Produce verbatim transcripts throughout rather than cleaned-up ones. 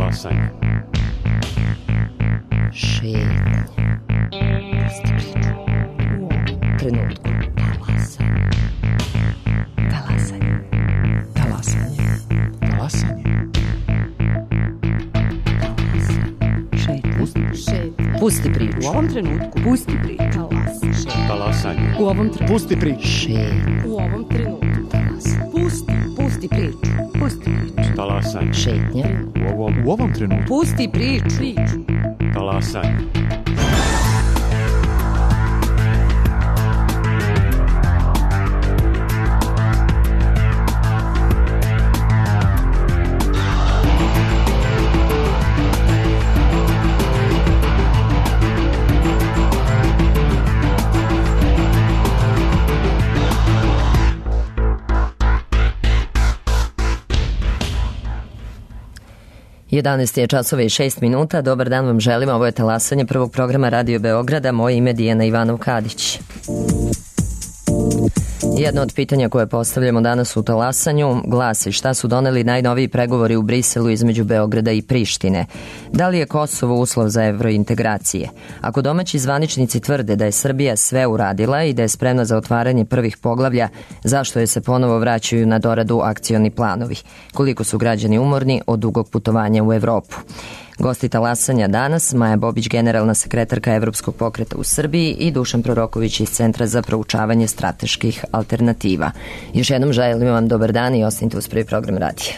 Talasanje. Šetnje. Pusti priču. U ovom trenutku. Talasanje. Talasanje. Talasanje. Talasanje. Šetnje. Pusti, šetnje. Pusti priču. U ovom trenutku. Pusti priču. Talasanje. Talasanje. U ovom trenutku. Pusti priču. Šetnje. U ovom trenutku. Talasanje. Pusti. Pusti priču. Pusti priču. Talasanje. Šetnje. U ovom, U ovom trenutku. Pusti priču. Priču. Talasanje. jedanaest je časova i šest minuta. Dobar dan vam želim. Ovo je talasanje prvog programa Radio Beograda. Moje ime je Dijana Ivanov-Kadić. Jedno od pitanja koje postavljamo danas u talasanju glasi: šta su doneli najnoviji pregovori u Briselu između Beograda i Prištine? Da li je Kosovo uslov za evrointegracije? Ako domaći zvaničnici tvrde da je Srbija sve uradila i da je spremna za otvaranje prvih poglavlja, zašto je se ponovo vraćaju na doradu akcioni planovi? Koliko su građani umorni od dugog putovanja u Evropu? Gosti talasanja danas: Maja Bobić, generalna sekretarka Evropskog pokreta u Srbiji, i Dušan Proroković iz Centra za proučavanje strateških alternativa. Još jednom želim vam dobar dan i ostanite uz prvi program radija.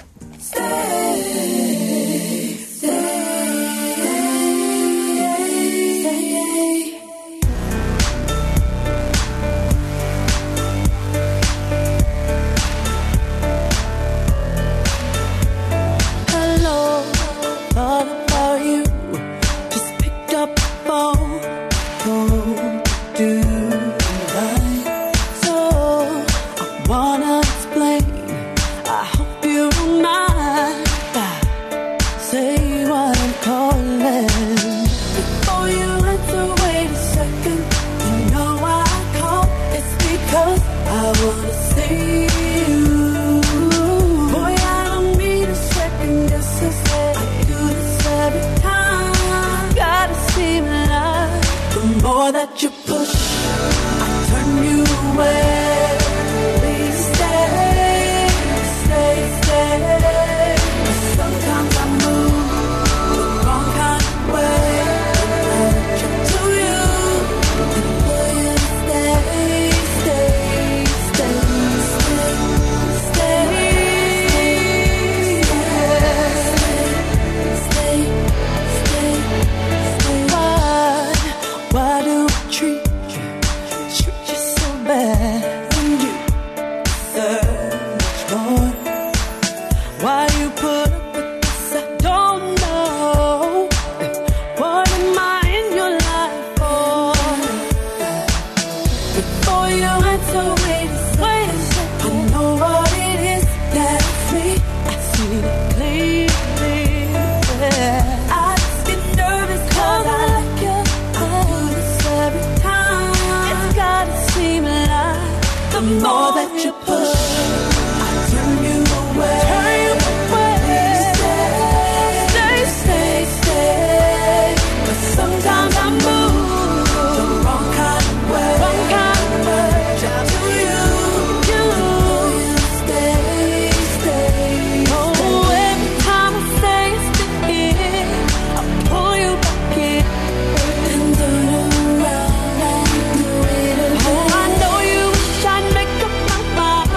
I know you wish I'd make up my mind.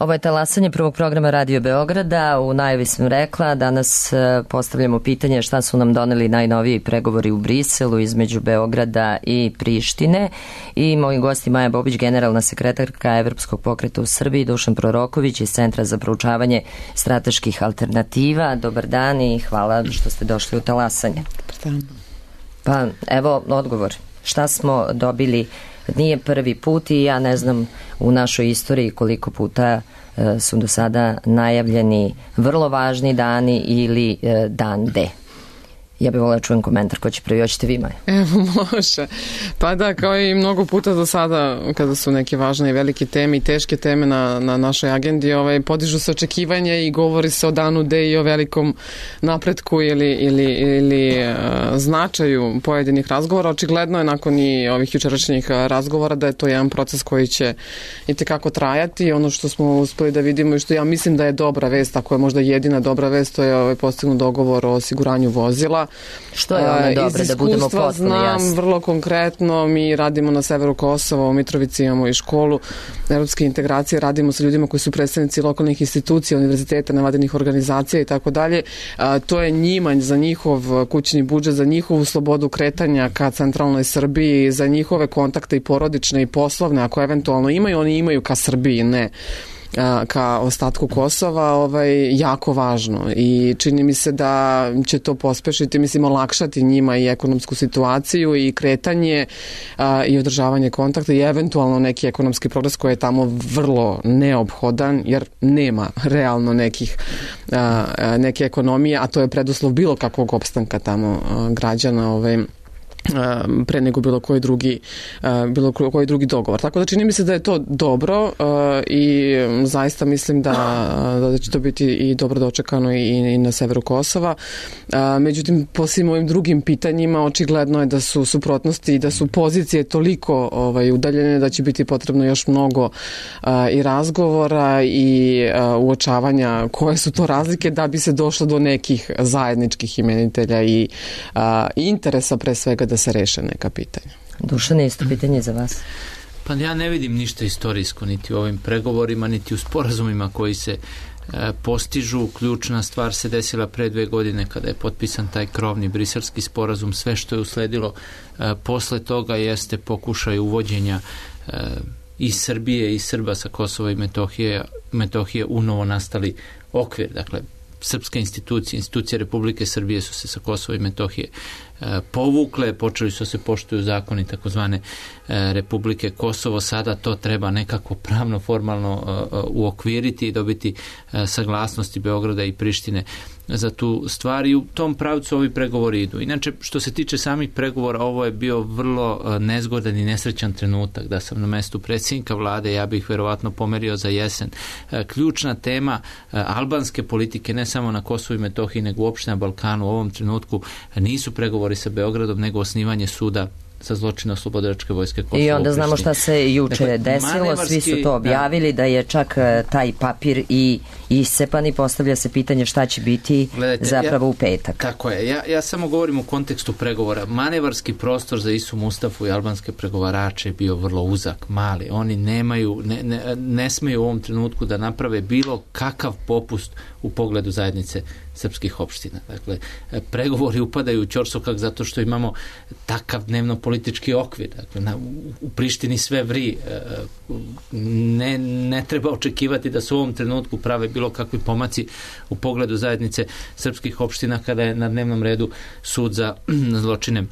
Ovo je talasanje prvog programa Radio Beograda. U najavi sam rekla, danas postavljamo pitanje šta su nam doneli najnoviji pregovori u Briselu između Beograda i Prištine. I moji gosti Maja Bobić, generalna sekretarka Evropskog pokreta u Srbiji, Dušan Proroković iz Centra za proučavanje strateških alternativa. Dobar dan i hvala što ste došli u talasanje. Pa evo odgovor. Šta smo dobili? Nije prvi put i ja ne znam u našoj istoriji koliko puta e, su do sada najavljeni vrlo važni dani ili e, dan D. Ja bih volila čujem komentar, ko će prvi, hoćete vi, Maja? Evo, može. Pa da, kao i mnogo puta do sada, kada su neke važne i velike teme i teške teme na, na našoj agendi, ovaj, podižu se očekivanja i govori se o danu D i o velikom napretku ili, ili, ili uh, značaju pojedinih razgovora. Očigledno je nakon i ovih jučerašnjih razgovora da je to jedan proces koji će itekako trajati. Ono što smo uspeli da vidimo i što ja mislim da je dobra vest, ako je možda jedina dobra vest, to je ovaj, postignut dogovor o osiguranju vozila. Što je ono dobro, da budemo potpuno jasni? Znam vrlo konkretno, mi radimo na severu Kosova, u Mitrovici imamo i školu evropske integracije, radimo sa ljudima koji su predstavnici lokalnih institucija, univerziteta, nevladinih organizacija i tako dalje. To je njimanj za njihov kućni budžet, za njihovu slobodu kretanja ka centralnoj Srbiji, za njihove kontakte i porodične i poslovne, ako eventualno imaju, oni imaju ka Srbiji, ne ka ostatku Kosova, ovaj, jako važno i čini mi se da će to pospešiti, mislim, olakšati njima i ekonomsku situaciju i kretanje a, i održavanje kontakta i eventualno neki ekonomski progres koji je tamo vrlo neophodan, jer nema realno nekih a, a, neke ekonomije, a to je preduslov bilo kakvog opstanka tamo a, građana, ovaj, pre nego bilo koji drugi bilo koji drugi dogovor. Tako da čini mi se da je to dobro i zaista mislim da, da će to biti i dobro dočekano i, i na severu Kosova. Međutim, po svim ovim drugim pitanjima očigledno je da su suprotnosti i da su pozicije toliko ovaj, udaljene da će biti potrebno još mnogo i razgovora i uočavanja koje su to razlike da bi se došlo do nekih zajedničkih imenitelja i, i interesa pre svega da se reše neka pitanja. Dušan, isto pitanje za vas. Pa ja ne vidim ništa istorijsko niti u ovim pregovorima, niti u sporazumima koji se e, postižu. Ključna stvar se desila pre dve godine kada je potpisan taj krovni briselski sporazum. Sve što je usledilo e, posle toga jeste pokušaj uvođenja e, i Srbije i Srba sa Kosova i Metohije, Metohije u novo nastali okvir. Dakle, srpske institucije, institucije Republike Srbije su se sa Kosova i Metohije e, povukle, počeli su se poštuju zakoni takozvane e, Republike Kosovo, sada to treba nekako pravno, formalno e, uokviriti i dobiti e, saglasnosti Beograda i Prištine za tu stvar i u tom pravcu ovi pregovori idu. Inače, što se tiče samih pregovora, ovo je bio vrlo e, nezgodan i nesrećan trenutak. Da sam na mestu predsjednika vlade, ja bih verovatno pomerio za jesen. E, ključna tema e, albanske politike, ne samo na Kosovu i Metohiji, nego uopšte na Balkanu u ovom trenutku nisu pregovori sa Beogradom, nego osnivanje suda sa zločina Oslobodilačke vojske Kosova. I onda znamo šta se juče dakle, desilo, svi su to objavili, da, da je čak taj papir i isepan i postavlja se pitanje šta će biti Gledajte, zapravo ja, u petak. Tako je, ja, ja samo govorim u kontekstu pregovora. Manevarski prostor za Isu Mustafu i albanske pregovarače je bio vrlo uzak, mali. Oni nemaju, ne, ne, ne smeju u ovom trenutku da naprave bilo kakav popust u pogledu zajednice srpskih opština. Dakle, pregovori upadaju u ćorsokak zato što imamo takav dnevno politički okvir. Dakle, na, u Prištini sve vri. Ne, ne treba očekivati da se u ovom trenutku prave bilo kakvi pomaci u pogledu zajednice srpskih opština kada je na dnevnom redu sud za zločine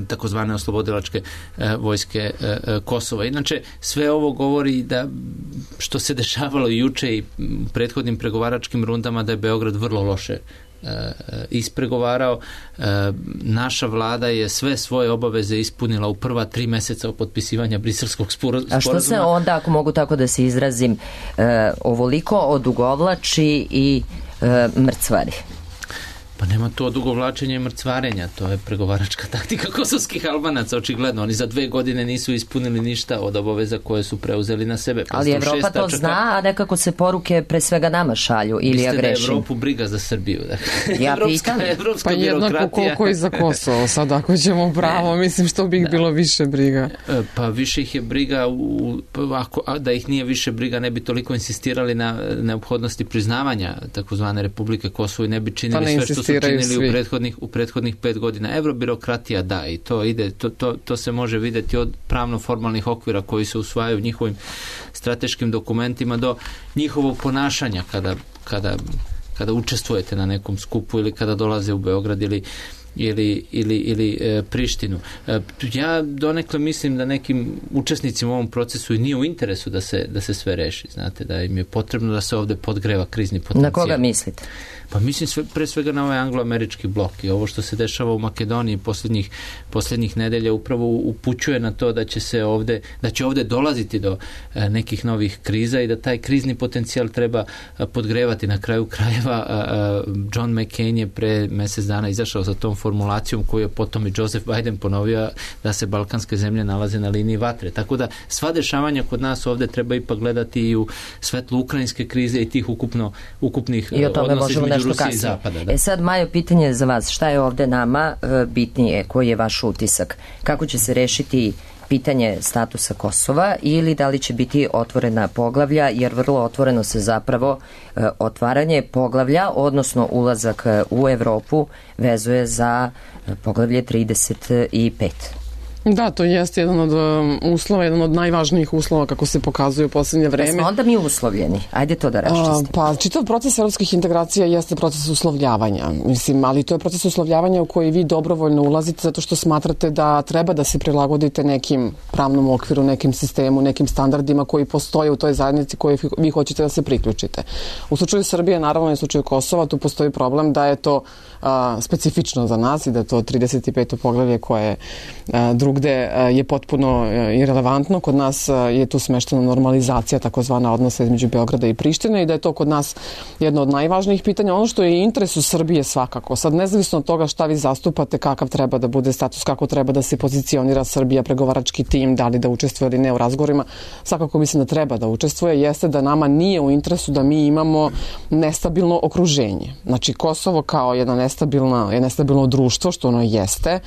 takozvane oslobodilačke e, vojske e, Kosova. Inače, sve ovo govori da što se dešavalo juče i prethodnim pregovaračkim rundama da je Beograd vrlo loše e, ispregovarao. E, naša vlada je sve svoje obaveze ispunila u prva tri meseca od potpisivanja briselskog sporazuma. A što se onda, ako mogu tako da se izrazim, e, ovoliko odugovlači i e, mrcvari? Pa Pa nema to odugovlačenja i mrcvarenja, to je pregovaračka taktika kosovskih Albanaca, očigledno. Oni za dve godine nisu ispunili ništa od obaveza koje su preuzeli na sebe. Ali Evropa to tačaka... zna, a nekako se poruke pre svega nama šalju, ili ja grešim? Mislite da je Evropu briga za Srbiju? Dakle, ja evropska, pitam. Evropska pa jednako koliko i za Kosovo, sad ako ćemo pravo, mislim što bi ih da. bilo više briga. Pa više ih je briga, u, ako, da ih nije više briga, ne bi toliko insistirali na neophodnosti priznavanja takozvane Republike Kosovo i ne bi činili sve što su činili u prethodnih, u prethodnih pet godina. Evrobirokratija da, i to ide, to, to, to se može vidjeti od pravno-formalnih okvira koji se usvajaju njihovim strateškim dokumentima do njihovog ponašanja kada, kada, kada učestvujete na nekom skupu ili kada dolaze u Beograd ili ili, ili, ili e, Prištinu. E, ja donekle mislim da nekim učesnicima u ovom procesu i nije u interesu da se, da se sve reši. Znate, da im je potrebno da se ovde podgreva krizni potencijal. Na koga mislite? Pa mislim sve, pre svega na ovaj angloamerički blok i ovo što se dešava u Makedoniji posljednjih, posljednjih nedelja upravo upućuje na to da će se ovde, da će ovde dolaziti do e, nekih novih kriza i da taj krizni potencijal treba a, podgrevati. Na kraju krajeva a, a, John McCain je pre mjesec dana izašao sa tom formulacijom koju je potom i Joseph Biden ponovio da se balkanske zemlje nalaze na liniji vatre. Tako da sva dešavanja kod nas ovde treba ipak gledati i u svetlu ukrajinske krize i tih ukupno, ukupnih odnosa između Rusije i Zapada. Da. E sad, Majo, pitanje za vas. Šta je ovde nama e, bitnije? Koji je vaš utisak? Kako će se rešiti pitanje statusa Kosova ili da li će biti otvorena poglavlja, jer vrlo otvoreno se zapravo e, otvaranje poglavlja, odnosno ulazak u Evropu vezuje za e, poglavlje trideset pet. Da, to jeste jedan od um, uslova, jedan od najvažnijih uslova kako se pokazuje u posljednje vreme. Da smo onda mi uslovljeni. Ajde to da raščistimo. Pa čitav proces evropskih integracija jeste proces uslovljavanja. Mislim, ali to je proces uslovljavanja u koji vi dobrovoljno ulazite zato što smatrate da treba da se prilagodite nekim pravnom okviru, nekim sistemu, nekim standardima koji postoje u toj zajednici koji vi hoćete da se priključite. U slučaju Srbije, naravno i u slučaju Kosova, tu postoji problem da je to a, specifično za nas i da je to trideset peto poglavlje koje a, drug gde je potpuno irelevantno. Kod nas je tu smeštena normalizacija takozvana odnosa između Beograda i Prištine i da je to kod nas jedno od najvažnijih pitanja. Ono što je interes u Srbije svakako. Sad, nezavisno od toga šta vi zastupate, kakav treba da bude status, kako treba da se pozicionira Srbija, pregovarački tim, da li da učestvuje ili ne u razgovorima, svakako mislim da treba da učestvuje, jeste da nama nije u interesu da mi imamo nestabilno okruženje. Znači, Kosovo kao jedno nestabilno, nestabilno društvo, što ono jeste,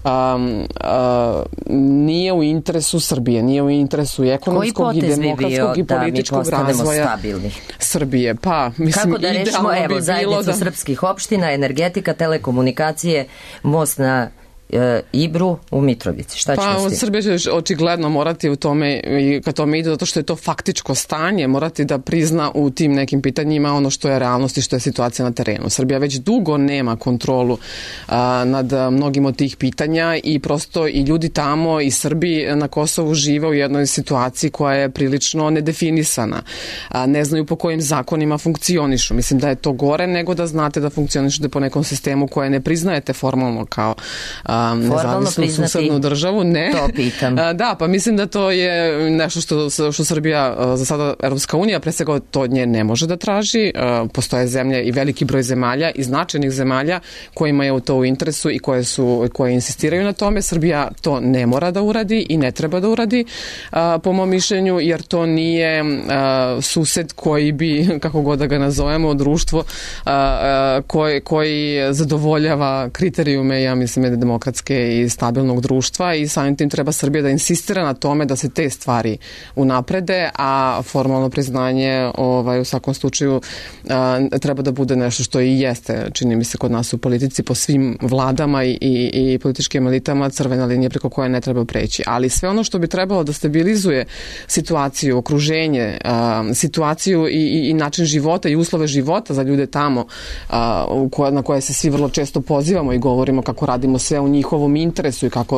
um, uh, nije u interesu Srbije, nije u interesu i ekonomskog i demokratskog i političkog razvoja stabilni? Srbije. Pa, mislim, kako da rešimo, evo, bi zajednicu da... srpskih opština, energetika, telekomunikacije, most na e, Ibru u Mitrovici. Šta ćemo s tim? Pa Srbija će očigledno morati u tome, i kad tome ide, zato što je to faktičko stanje, morati da prizna u tim nekim pitanjima ono što je realnost i što je situacija na terenu. Srbija već dugo nema kontrolu a, nad mnogim od tih pitanja i prosto i ljudi tamo i Srbi na Kosovu žive u jednoj situaciji koja je prilično nedefinisana. A, ne znaju po kojim zakonima funkcionišu. Mislim da je to gore nego da znate da funkcionišete po nekom sistemu koje ne priznajete formalno kao a, nezavisnu susednu državu. Ne. To pitam. Da, pa mislim da to je nešto što, što Srbija, za sada Evropska unija, pre svega to od nje ne može da traži. Postoje zemlje i veliki broj zemalja i značajnih zemalja kojima je to u interesu i koje, su, koje insistiraju na tome. Srbija to ne mora da uradi i ne treba da uradi, po mom mišljenju, jer to nije sused koji bi, kako god da ga nazovemo, društvo koji, koji zadovoljava kriterijume, ja mislim, je demokratske i stabilnog društva i samim tim treba Srbija da insistira na tome da se te stvari unaprede, a formalno priznanje ovaj, u svakom slučaju a, treba da bude nešto što i jeste, čini mi se, kod nas u politici, po svim vladama i, i, i političkim elitama, crvena linija preko koje ne treba preći. Ali sve ono što bi trebalo da stabilizuje situaciju, okruženje, a, situaciju i, i, i način života i uslove života za ljude tamo, a, u koje, na koje se svi vrlo često pozivamo i govorimo kako radimo sve u njihovom interesu i kako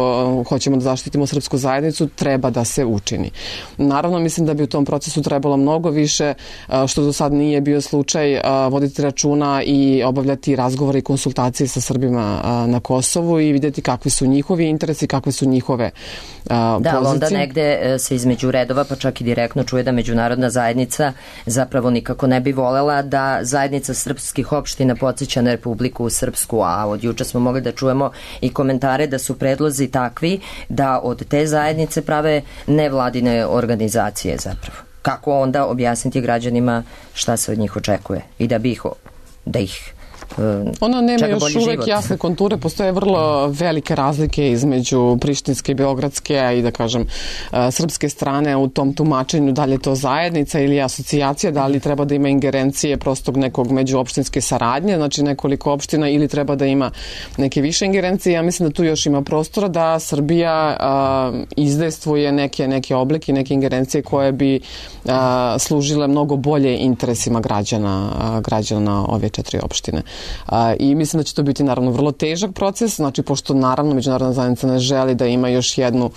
hoćemo da zaštitimo srpsku zajednicu, treba da se učini. Naravno, mislim da bi u tom procesu trebalo mnogo više, što do sad nije bio slučaj, voditi računa i obavljati razgovore i konsultacije sa Srbima na Kosovu i vidjeti kakvi su njihovi interesi, kakve su njihove pozicije. Da, ali onda negde se između redova, pa čak i direktno čuje da međunarodna zajednica zapravo nikako ne bi volela da zajednica srpskih opština podsjeća na Republiku Srpsku, a od juče smo mogli da čujemo i komentare da su predlozi takvi da od te zajednice prave nevladine organizacije zapravo. Kako onda objasniti građanima šta se od njih očekuje i da bi ih, da ih Ona nema još uvek jasne konture, postoje vrlo velike razlike između prištinske i beogradske i da kažem srpske strane u tom tumačenju da li je to zajednica ili asocijacija, da li treba da ima ingerencije prostog nekog međuopštinske saradnje, znači nekoliko opština ili treba da ima neke više ingerencije. Ja mislim da tu još ima prostora da Srbija a, izdejstvuje neke, neke oblike, neke ingerencije koje bi a, služile mnogo bolje interesima građana, a, građana ove četiri opštine. A, i mislim da će to biti naravno vrlo težak proces, znači pošto naravno međunarodna zajednica ne želi da ima još jednu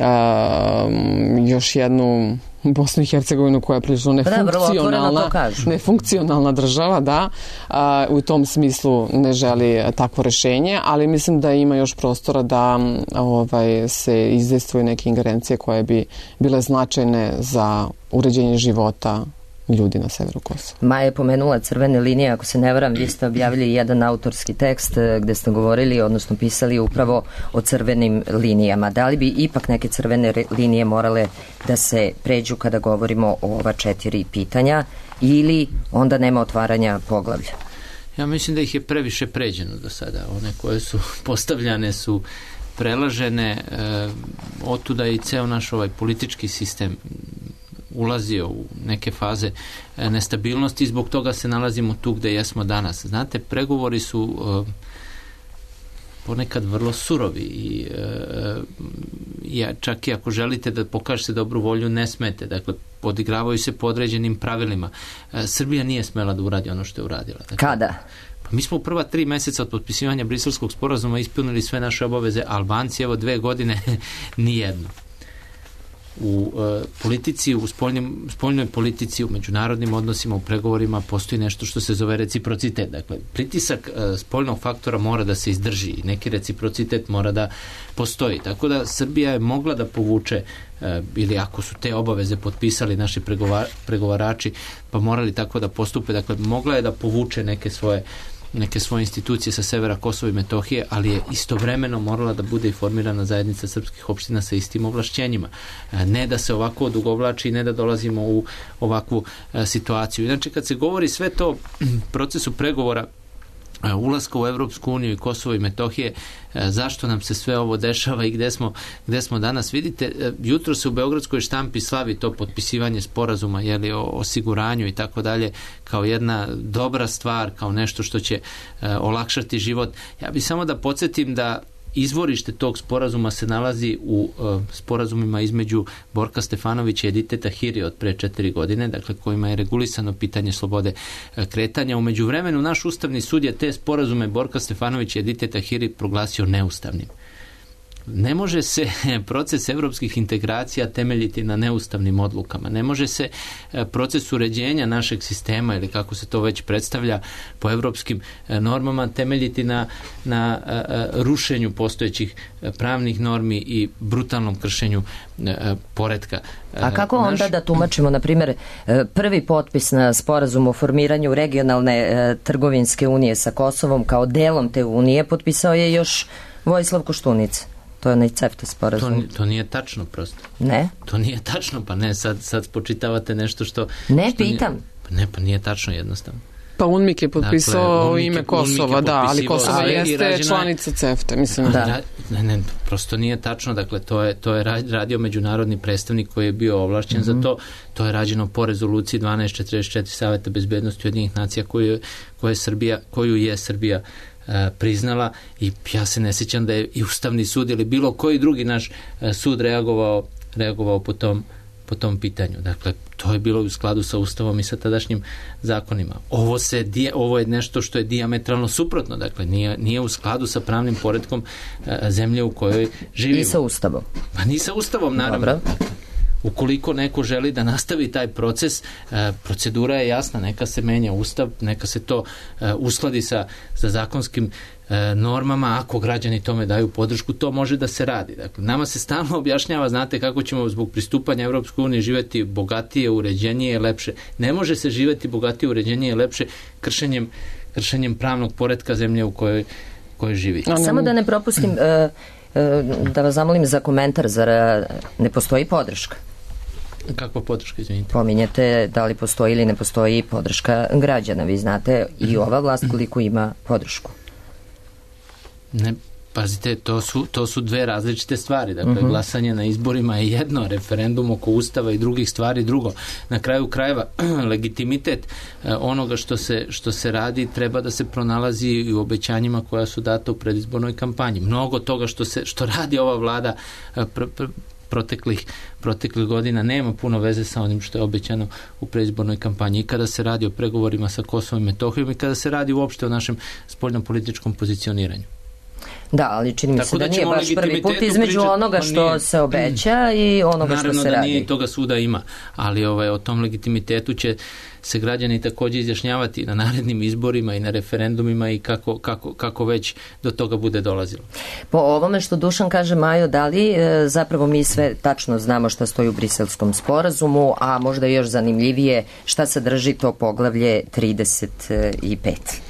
a, još jednu Bosnu i Hercegovinu koja je prilično nefunkcionalna, nefunkcionalna država, da, a, u tom smislu ne želi takvo rešenje, ali mislim da ima još prostora da ovaj, se izdejstvuju neke ingerencije koje bi bile značajne za uređenje života ljudi na severu Kosova. Maja je pomenula crvene linije, ako se ne varam, vi ste objavili jedan autorski tekst gde ste govorili, odnosno pisali upravo o crvenim linijama. Da li bi ipak neke crvene linije morale da se pređu kada govorimo o ova četiri pitanja ili onda nema otvaranja poglavlja? Ja mislim da ih je previše pređeno do sada. One koje su postavljane su prelažene, e, otuda i ceo naš ovaj politički sistem ulazio u neke faze nestabilnosti i zbog toga se nalazimo tu gde jesmo danas. Znate, pregovori su uh, ponekad vrlo surovi i uh, ja, čak i ako želite da pokažete dobru volju, ne smete. Dakle, odigravaju se po određenim pravilima. Uh, Srbija nije smela da uradi ono što je uradila. Dakle, kada? Pa mi smo u prva tri meseca od potpisivanja Briselskog sporazuma ispunili sve naše obaveze. Albanci, evo dve godine, nijedno. U uh, politici, u spoljnim, spoljnoj politici, u međunarodnim odnosima, u pregovorima postoji nešto što se zove reciprocitet. Dakle, pritisak uh, spoljnog faktora mora da se izdrži i neki reciprocitet mora da postoji. Tako da Srbija je mogla da povuče uh, ili ako su te obaveze potpisali naši pregovar, pregovarači pa morali tako da postupe. Dakle, mogla je da povuče neke svoje neke svoje institucije sa severa Kosova i Metohije, ali je istovremeno morala da bude i formirana zajednica srpskih opština sa istim ovlašćenjima. Ne da se ovako odugovlači i ne da dolazimo u ovakvu situaciju. Inače, kad se govori sve to procesu pregovora ulaska u Evropsku uniju i Kosovo i Metohije, zašto nam se sve ovo dešava i gde smo, gde smo danas. Vidite, jutro se u beogradskoj štampi slavi to potpisivanje sporazuma, jeli, o osiguranju i tako dalje, kao jedna dobra stvar, kao nešto što će uh, olakšati život. Ja bih samo da podsjetim da izvorište tog sporazuma se nalazi u uh, sporazumima između Borka Stefanovića i Edite Tahiri od pre četiri godine, dakle kojima je regulisano pitanje slobode uh, kretanja. U međuvremenu naš ustavni sud je te sporazume Borka Stefanovića i Edite Tahiri proglasio neustavnim. Ne može se proces evropskih integracija temeljiti na neustavnim odlukama. Ne može se proces uređenja našeg sistema ili kako se to već predstavlja po evropskim normama temeljiti na, na rušenju postojećih pravnih normi i brutalnom kršenju poretka. A kako onda Naš... da tumačimo, na primjer, prvi potpis na sporazum o formiranju regionalne trgovinske unije sa Kosovom kao delom te unije potpisao je još Vojislav Koštunica? To je onaj CEFTA sporazum. To, to nije tačno prosto. Ne? To nije tačno, pa ne, sad, sad spočitavate nešto što... Ne, što pitam. Nije, pa ne, pa nije tačno jednostavno. Pa UNMIK je potpisao dakle, ime Kosova, da, ali Kosovo jeste članica CEFTA, mislim. Da. Ne, ne, prosto nije tačno, dakle, to je, to je radio međunarodni predstavnik koji je bio ovlašćen mm-hmm. za to, to je rađeno po rezoluciji dvanaest četrdeset četiri Saveta bezbednosti Ujedinjenih nacija koju, koju je Srbija, koju je Srbija priznala i ja se ne sjećam da je i Ustavni sud ili bilo koji drugi naš sud reagovao, reagovao po tom po tom pitanju. Dakle, to je bilo u skladu sa Ustavom i sa tadašnjim zakonima. Ovo, se, ovo je nešto što je dijametralno suprotno, dakle, nije, nije u skladu sa pravnim poretkom zemlje u kojoj živimo. I sa Ustavom. Pa ni sa Ustavom, naravno. Dobro. Ukoliko neko želi da nastavi taj proces, procedura je jasna, neka se menja Ustav, neka se to uskladi sa, sa zakonskim normama, ako građani tome daju podršku, to može da se radi. Dakle, nama se stalno objašnjava, znate, kako ćemo zbog pristupanja Evropskoj uniji živjeti bogatije, uređenije, lepše. Ne može se živjeti bogatije, uređenije, lepše kršenjem, kršenjem pravnog poretka zemlje u kojoj, kojoj živi. Samo da ne propustim, da vas zamolim za komentar, zar ne postoji podrška? Kakva podrška, izvinite? Pominjete da li postoji ili ne postoji podrška građana. Vi znate i ova vlast koliko ima podršku. Ne, pazite, to su, to su dve različite stvari. Dakle, uh-huh. glasanje na izborima je jedno, referendum oko Ustava i drugih stvari drugo. Na kraju krajeva, legitimitet eh, onoga što se, što se radi treba da se pronalazi i u obećanjima koja su data u predizbornoj kampanji. Mnogo toga što, se, što radi ova vlada eh, pr, pr, proteklih, proteklih godina nema puno veze sa onim što je obećano u predizbornoj kampanji. I kada se radi o pregovorima sa Kosovom i Metohijom i kada se radi uopšte o našem spoljnopolitičkom pozicioniranju. Da, ali čini mi se da, da nije baš prvi put između pričati, onoga što nije, se obeća i onoga što se radi. Naravno da nije, toga svuda ima, ali ovaj, o tom legitimitetu će se građani također izjašnjavati na narednim izborima i na referendumima i kako, kako, kako već do toga bude dolazilo. Po ovome što Dušan kaže, Majo, da li e, zapravo mi sve tačno znamo šta stoji u Briselskom sporazumu, a možda još zanimljivije šta sadrži to poglavlje trideset pet?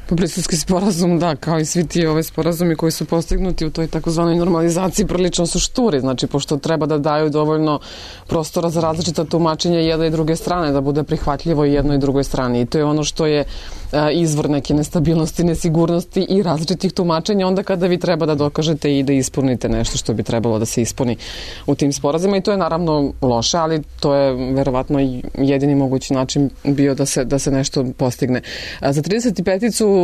Po Briselski sporazum, da, kao i svi ti ove sporazumi koji su postignuti u toj takozvanoj normalizaciji prilično su šturi, znači pošto treba da daju dovoljno prostora za različita tumačenja jedne i druge strane, da bude prihvatljivo i jednoj i drugoj strani. I to je ono što je a, izvor neke nestabilnosti, nesigurnosti i različitih tumačenja onda kada vi treba da dokažete i da ispunite nešto što bi trebalo da se ispuni u tim sporazima i to je naravno loše, ali to je verovatno jedini mogući način bio da se, da se nešto postigne. A, za trideset peticu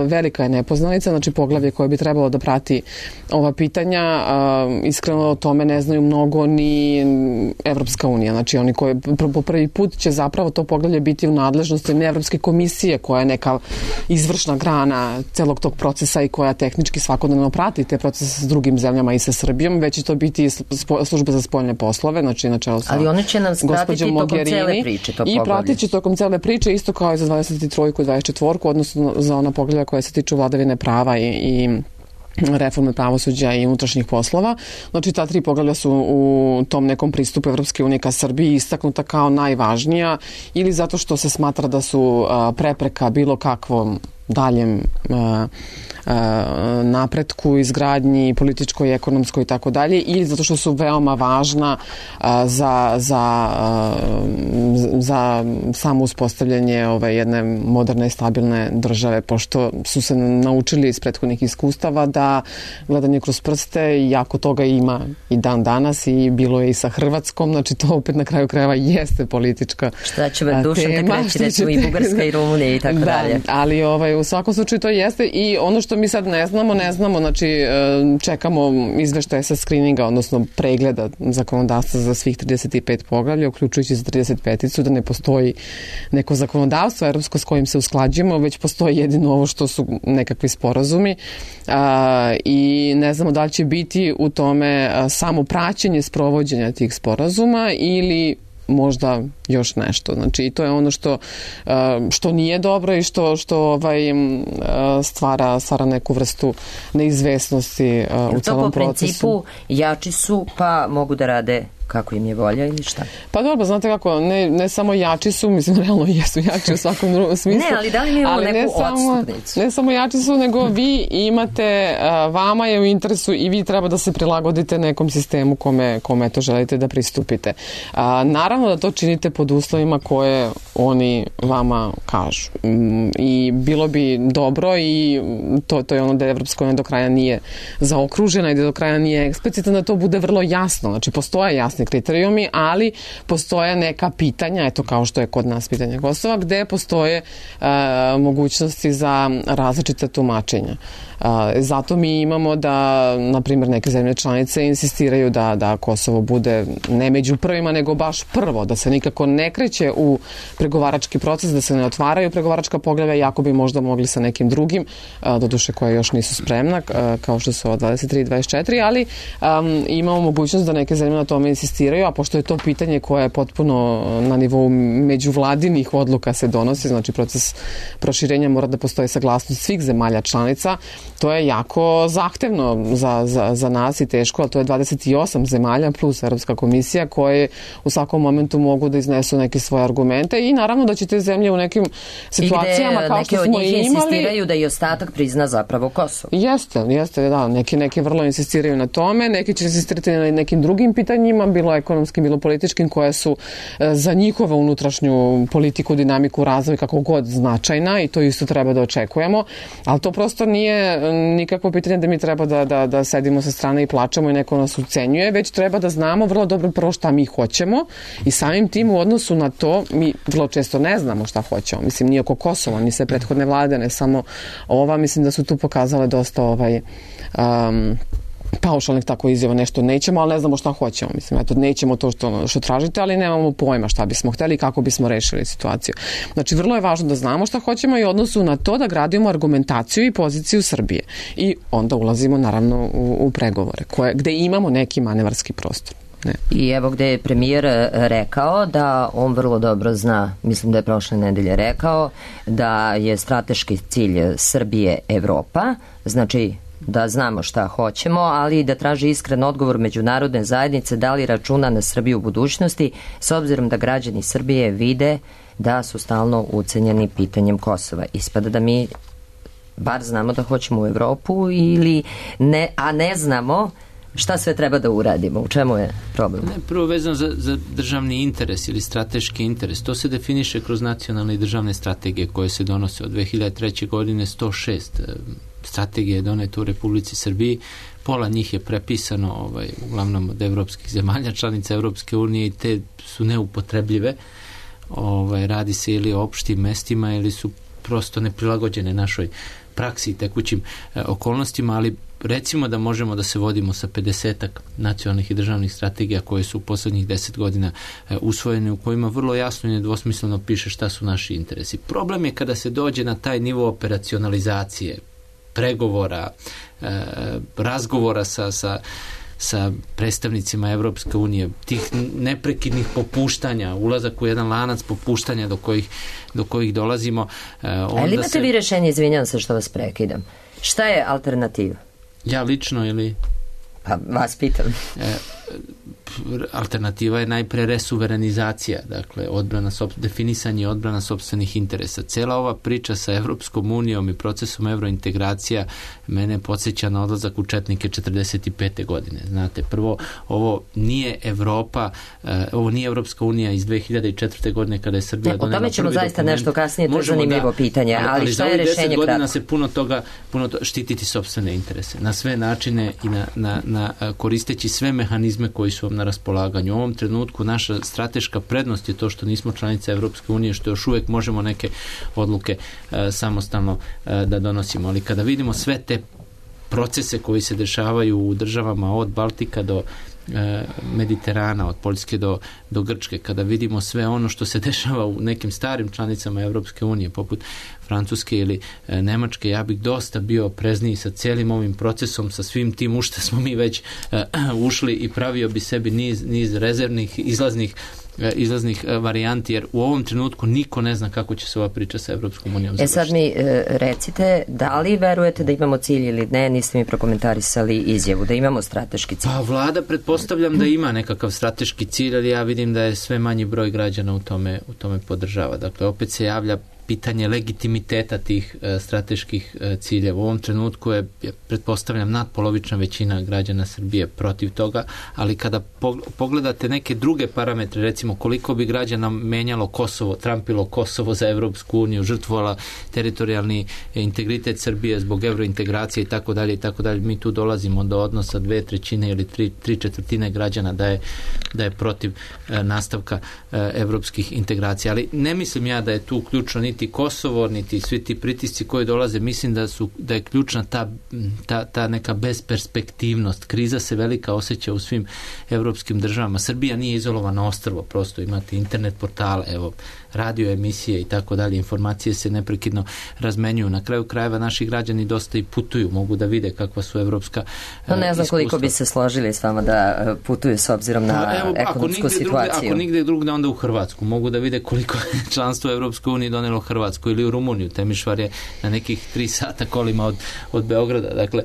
velika je nepoznanica, znači poglavlje koje bi trebalo da prati ova pitanja. Iskreno o tome ne znaju mnogo ni Evropska unija. Znači oni koji po prvi put će zapravo to poglavlje biti u nadležnosti ne Evropske komisije koja je neka izvršna grana celog tog procesa i koja tehnički svakodnevno prati te procese s drugim zemljama i sa Srbijom, već će to biti služba za spoljne poslove, znači na čelu sa ali oni će nam pratiti tokom cele priče to i pratit će tokom cele priče isto kao i za dvadeset tri i dvadeset četiri, odnosno za ona poglavlja koja se tiču vladavine prava i, i reforme pravosuđa i unutrašnjih poslova. Znači ta tri poglavlja su u tom nekom pristupu Evropske unije ka Srbiji istaknuta kao najvažnija ili zato što se smatra da su a, prepreka bilo kakvom daljem a, a, napretku, izgradnji političkoj, ekonomskoj i tako dalje ili zato što su veoma važna a, za, za, a, za samo uspostavljanje ove jedne moderne i stabilne države, pošto su se naučili iz prethodnih iskustava da gledanje kroz prste jako toga ima i dan danas i bilo je i sa Hrvatskom, znači to opet na kraju krajeva jeste politička šta će vam Dušan tek reći, recimo i Bugarska i Rumunija i tako da, dalje. Ali ovaj, u svakom slučaju to jeste i ono što mi sad ne znamo, ne znamo, znači čekamo izveštaje sa skrininga, odnosno pregleda zakonodavstva za svih trideset pet poglavlja, uključujući za trideset peticu, da ne postoji neko zakonodavstvo evropsko s kojim se usklađujemo, već postoji jedino ovo što su nekakvi sporazumi a, i ne znamo da li će biti u tome a, samo praćenje sprovođenja tih sporazuma ili možda još nešto. Znači i to je ono što što nije dobro i što što ovaj stvara stvara neku vrstu neizvesnosti u celom procesu. Po principu jači su pa mogu da rade kako im je volja ili šta? Pa dobro, znate kako, ne, ne samo jači su, mislim, realno jesu jači u svakom drugom smislu. Ne, ali da li mi imamo neku ne samo, odstupnicu? Ne samo jači su, nego vi imate, vama je u interesu i vi treba da se prilagodite nekom sistemu kome, kome to želite da pristupite. A, naravno da to činite pod uslovima koje oni vama kažu. I bilo bi dobro i to, to je ono da Evropska unija do kraja nije zaokružena i da do kraja nije eksplicitna, da to bude vrlo jasno. Znači, postoje jasni kriterijumi, ali postoje neka pitanja, eto kao što je kod nas pitanje Kosova, gde postoje e, mogućnosti za različite tumačenja. Zato mi imamo da, na primjer, neke zemlje članice insistiraju da, da Kosovo bude ne među prvima, nego baš prvo, da se nikako ne kreće u pregovarački proces, da se ne otvaraju pregovaračka poglavlja, jako bi možda mogli sa nekim drugim, doduše koje još nisu spremna, kao što su dvadeset tri i dvadeset četiri, ali um, imamo mogućnost da neke zemlje na tome insistiraju, a pošto je to pitanje koje je potpuno na nivou međuvladinih odluka se donosi, znači proces proširenja mora da postoji saglasnost svih zemalja članica, to je jako zahtevno za, za, za nas i teško, ali to je dvadeset osam zemalja plus Europska komisija koje u svakom momentu mogu da iznesu neke svoje argumente i naravno da će te zemlje u nekim situacijama kao što smo imali... I gde neke od njih insistiraju da i ostatak prizna zapravo Kosovo. Jeste, jeste, da. Neki, neki vrlo insistiraju na tome, neki će insistirati na nekim drugim pitanjima, bilo ekonomskim, bilo političkim, koje su za njihovu unutrašnju politiku, dinamiku, razvoj, kako god značajna i to isto treba da očekujemo, ali to prosto nije nikakvo pitanje da mi treba da, da, da sedimo sa strane i plačemo i neko nas ucenjuje, već treba da znamo vrlo dobro prvo šta mi hoćemo i samim tim u odnosu na to mi vrlo često ne znamo šta hoćemo. Mislim, nije oko Kosova, ni sve prethodne vlade, ne samo ova, mislim da su tu pokazale dosta ovaj um, paušalnih tako izjava, nešto nećemo, ali ne znamo šta hoćemo. Mislim, eto, nećemo to što, što tražite, ali nemamo pojma šta bismo hteli i kako bismo rešili situaciju. Znači, vrlo je važno da znamo šta hoćemo i odnosu na to da gradimo argumentaciju i poziciju Srbije. I onda ulazimo, naravno, u, u pregovore, koje, gde imamo neki manevarski prostor. Ne. I evo gde je premijer rekao da on vrlo dobro zna, mislim da je prošle nedelje rekao, da je strateški cilj Srbije Evropa, znači da znamo šta hoćemo, ali i da traži iskren odgovor međunarodne zajednice da li računa na Srbiju u budućnosti, s obzirom da građani Srbije vide da su stalno ucenjeni pitanjem Kosova. Ispada da mi bar znamo da hoćemo u Evropu ili ne, a ne znamo šta sve treba da uradimo? U čemu je problem? Ne, prvo vezano za, za državni interes ili strateški interes. To se definiše kroz nacionalne i državne strategije koje se donose od dve hiljade treće. godine, sto šest strategije je doneto u Republici Srbiji. Pola njih je prepisano ovaj, uglavnom od evropskih zemalja, članica Evropske unije i te su neupotrebljive. Ovaj, radi se ili o opštim mestima ili su prosto neprilagođene našoj praksi i tekućim e, okolnostima, ali recimo da možemo da se vodimo sa pedesetak nacionalnih i državnih strategija koje su u poslednjih deset godina e, usvojene, u kojima vrlo jasno i nedvosmisleno piše šta su naši interesi. Problem je kada se dođe na taj nivo operacionalizacije, pregovora, e, razgovora sa, sa, sa predstavnicima Evropske unije, tih neprekidnih popuštanja, ulazak u jedan lanac popuštanja do kojih, do kojih dolazimo. E, onda Ali imate se... vi rešenje, izvinjam se što vas prekidam. Šta je alternativa? Ja lično ili... Pa vas pitam. E, alternativa je najpre resuverenizacija, dakle odbrana, definisanje odbrana sopstvenih interesa. Cela ova priča sa Evropskom unijom i procesom evrointegracija mene podsjeća na odlazak u četnike četrdeset pete. godine. Znate, prvo, ovo nije Evropa, uh, ovo nije Evropska unija iz dve hiljade četvrte. godine kada je Srbija donela prvi dokument. O tome ćemo zaista nešto kasnije, to je zanimljivo da, pitanje, ali, ali šta je rešenje kratko? Ali za ovih deset godina se puno toga, puno to, štititi sopstvene interese. Na sve načine i na, na, na koristeći sve mehanizme koji su vam na raspolaganju. U ovom trenutku naša strateška prednost je to što nismo članica Evropske unije, što još uvek možemo neke odluke e, samostalno e, da donosimo. Ali kada vidimo sve te procese koji se dešavaju u državama od Baltika do e, Mediterana, od Poljske do, do Grčke, kada vidimo sve ono što se dešava u nekim starim članicama Evropske unije, poput Francuske ili e, Nemačke, ja bih dosta bio oprezniji sa cijelim ovim procesom, sa svim tim u što smo mi već e, ušli i pravio bi sebi niz, niz rezervnih, izlaznih izlaznih varijanti, jer u ovom trenutku niko ne zna kako će se ova priča sa Evropskom unijom završiti. E sad mi e, recite, da li verujete da imamo cilj ili ne? Niste mi prokomentarisali izjavu, da imamo strateški cilj. Pa vlada, pretpostavljam da ima nekakav strateški cilj, ali ja vidim da je sve manji broj građana u tome, u tome podržava. Dakle, opet se javlja pitanje legitimiteta tih e, strateških e, ciljeva. U ovom trenutku je, pretpostavljam, nadpolovična većina građana Srbije protiv toga, ali kada pogledate neke druge parametre, recimo koliko bi građana menjalo Kosovo, trampilo Kosovo za Evropsku uniju, žrtvovala teritorijalni integritet Srbije zbog evrointegracije i tako dalje i tako dalje, mi tu dolazimo do odnosa dve trećine ili tri, tri četvrtine građana da je, da je protiv e, nastavka e, evropskih integracija. Ali ne mislim ja da je tu ključno niti niti Kosovo, niti svi ti pritisci koji dolaze, mislim da su da je ključna ta, ta, ta neka besperspektivnost. Kriza se velika osjeća u svim evropskim državama. Srbija nije izolovano ostrvo, prosto imate internet portale, evo, radio emisije i tako dalje, informacije se neprekidno razmenjuju. Na kraju krajeva naši građani dosta i putuju, mogu da vide kakva su evropska no, ne znam iskustva. Koliko bi se složili s vama da putuju s obzirom na pa, evo, ekonomsku ako situaciju. Drugde, ako nigde drugde, onda u Hrvatsku. Mogu da vide koliko je članstvo u Evropskoj uniji donelo Hrvatsku ili u Rumuniju. Temišvar je na nekih tri sata kolima od, od Beograda. Dakle,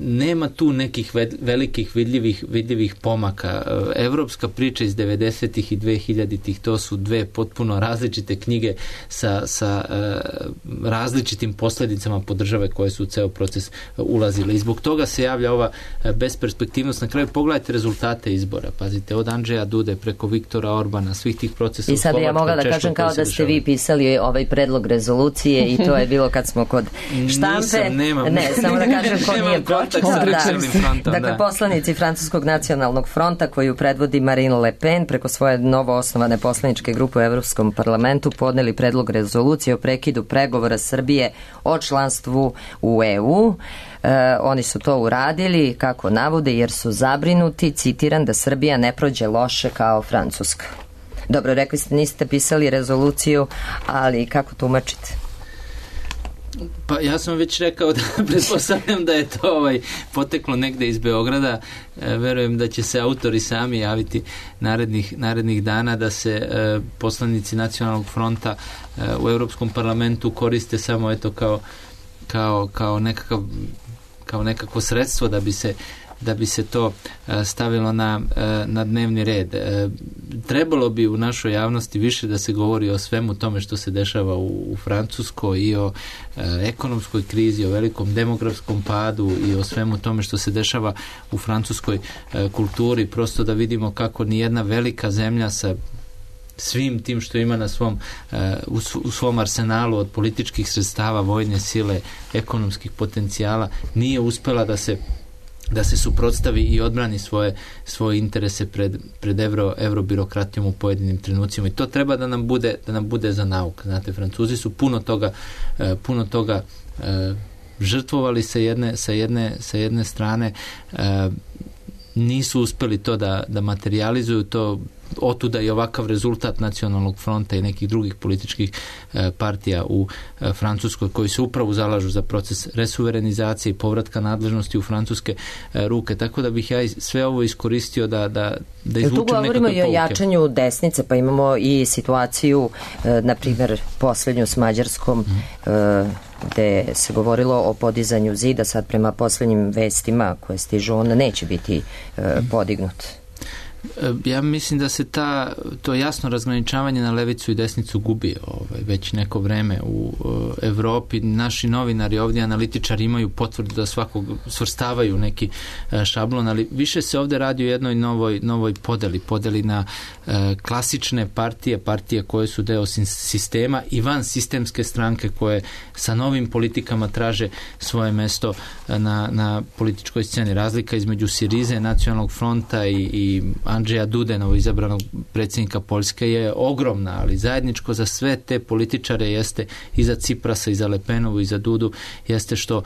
nema tu nekih velikih vidljivih, vidljivih pomaka. Evropska priča iz devedesetih i dvehiljaditih, to su dve potpuno različite knjige sa, sa uh, različitim posljedicama po države koje su u ceo proces ulazile. I zbog toga se javlja ova besperspektivnost. Na kraju pogledajte rezultate izbora. Pazite, od Andžeja Dude preko Viktora Orbana, svih tih procesa. I sad ja mogla da kažem kao da ste vi pisali ovaj predlog rezolucije i to je bilo kad smo kod štampe. Nisam, nemam. Ne, samo da kažem ko nije pročitao. Da. Frontom, dakle, da. Poslanici Francuskog nacionalnog fronta koju predvodi Marine Le Pen preko svoje novo osnovane poslaničke grupe u Evropskom parlamentu podneli predlog rezolucije o prekidu pregovora Srbije o članstvu u E U. E, oni su to uradili, kako navode, jer su zabrinuti, citiram, da Srbija ne prođe loše kao Francuska. Dobro, rekli ste, niste pisali rezoluciju, ali kako tumačite? Pa ja sam već rekao da pretpostavljam da je to ovaj, poteklo negde iz Beograda. E, verujem da će se autori sami javiti narednih, narednih dana, da se e, poslanici Nacionalnog fronta e, u Europskom parlamentu koriste samo eto kao, kao, kao, nekakav, kao nekako sredstvo da bi se da bi se to stavilo na, na dnevni red. Trebalo bi u našoj javnosti više da se govori o svemu tome što se dešava u, u Francuskoj i o ekonomskoj krizi, o velikom demografskom padu i o svemu tome što se dešava u francuskoj kulturi, prosto da vidimo kako nijedna velika zemlja sa svim tim što ima na svom, u svom arsenalu od političkih sredstava, vojne sile, ekonomskih potencijala, nije uspela da se da se suprotstavi i odbrani svoje, svoje interese pred, pred evro, evrobirokratijom u pojedinim trenucima. I to treba da nam bude, da nam bude za nauk. Znate, Francuzi su puno toga, puno toga žrtvovali sa jedne, sa jedne, sa jedne strane, nisu uspeli to da, da materializuju, to otuda i ovakav rezultat Nacionalnog fronta i nekih drugih političkih e, partija u e, Francuskoj koji se upravo zalažu za proces resuverenizacije i povratka nadležnosti u francuske e, ruke. Tako da bih ja sve ovo iskoristio da, da, da izvučem nekakve pouke. Tu govorimo i o jačanju desnice, pa imamo i situaciju, e, na primjer, posljednju s Mađarskom, mm. e, gde se govorilo o podizanju zida, sad prema posljednjim vestima koje stižu, on neće biti e, podignut. Ja mislim da se ta, to jasno razgraničavanje na levicu i desnicu gubi ovaj, već neko vreme u uh, Evropi. Naši novinari ovdje, analitičari imaju potvrdu da svakog svrstavaju neki uh, šablon, ali više se ovdje radi o jednoj novoj, novoj podeli. Podeli na uh, klasične partije, partije koje su deo sistema i van sistemske stranke koje sa novim politikama traže svoje mesto na, na političkoj sceni. Razlika između Sirize, Nacionalnog fronta i, i Andžeja Dude, novo izabranog predsjednika Poljske, je ogromna, ali zajedničko za sve te političare jeste i za Ciprasa, i za Le Penovu, i za Dudu, jeste što,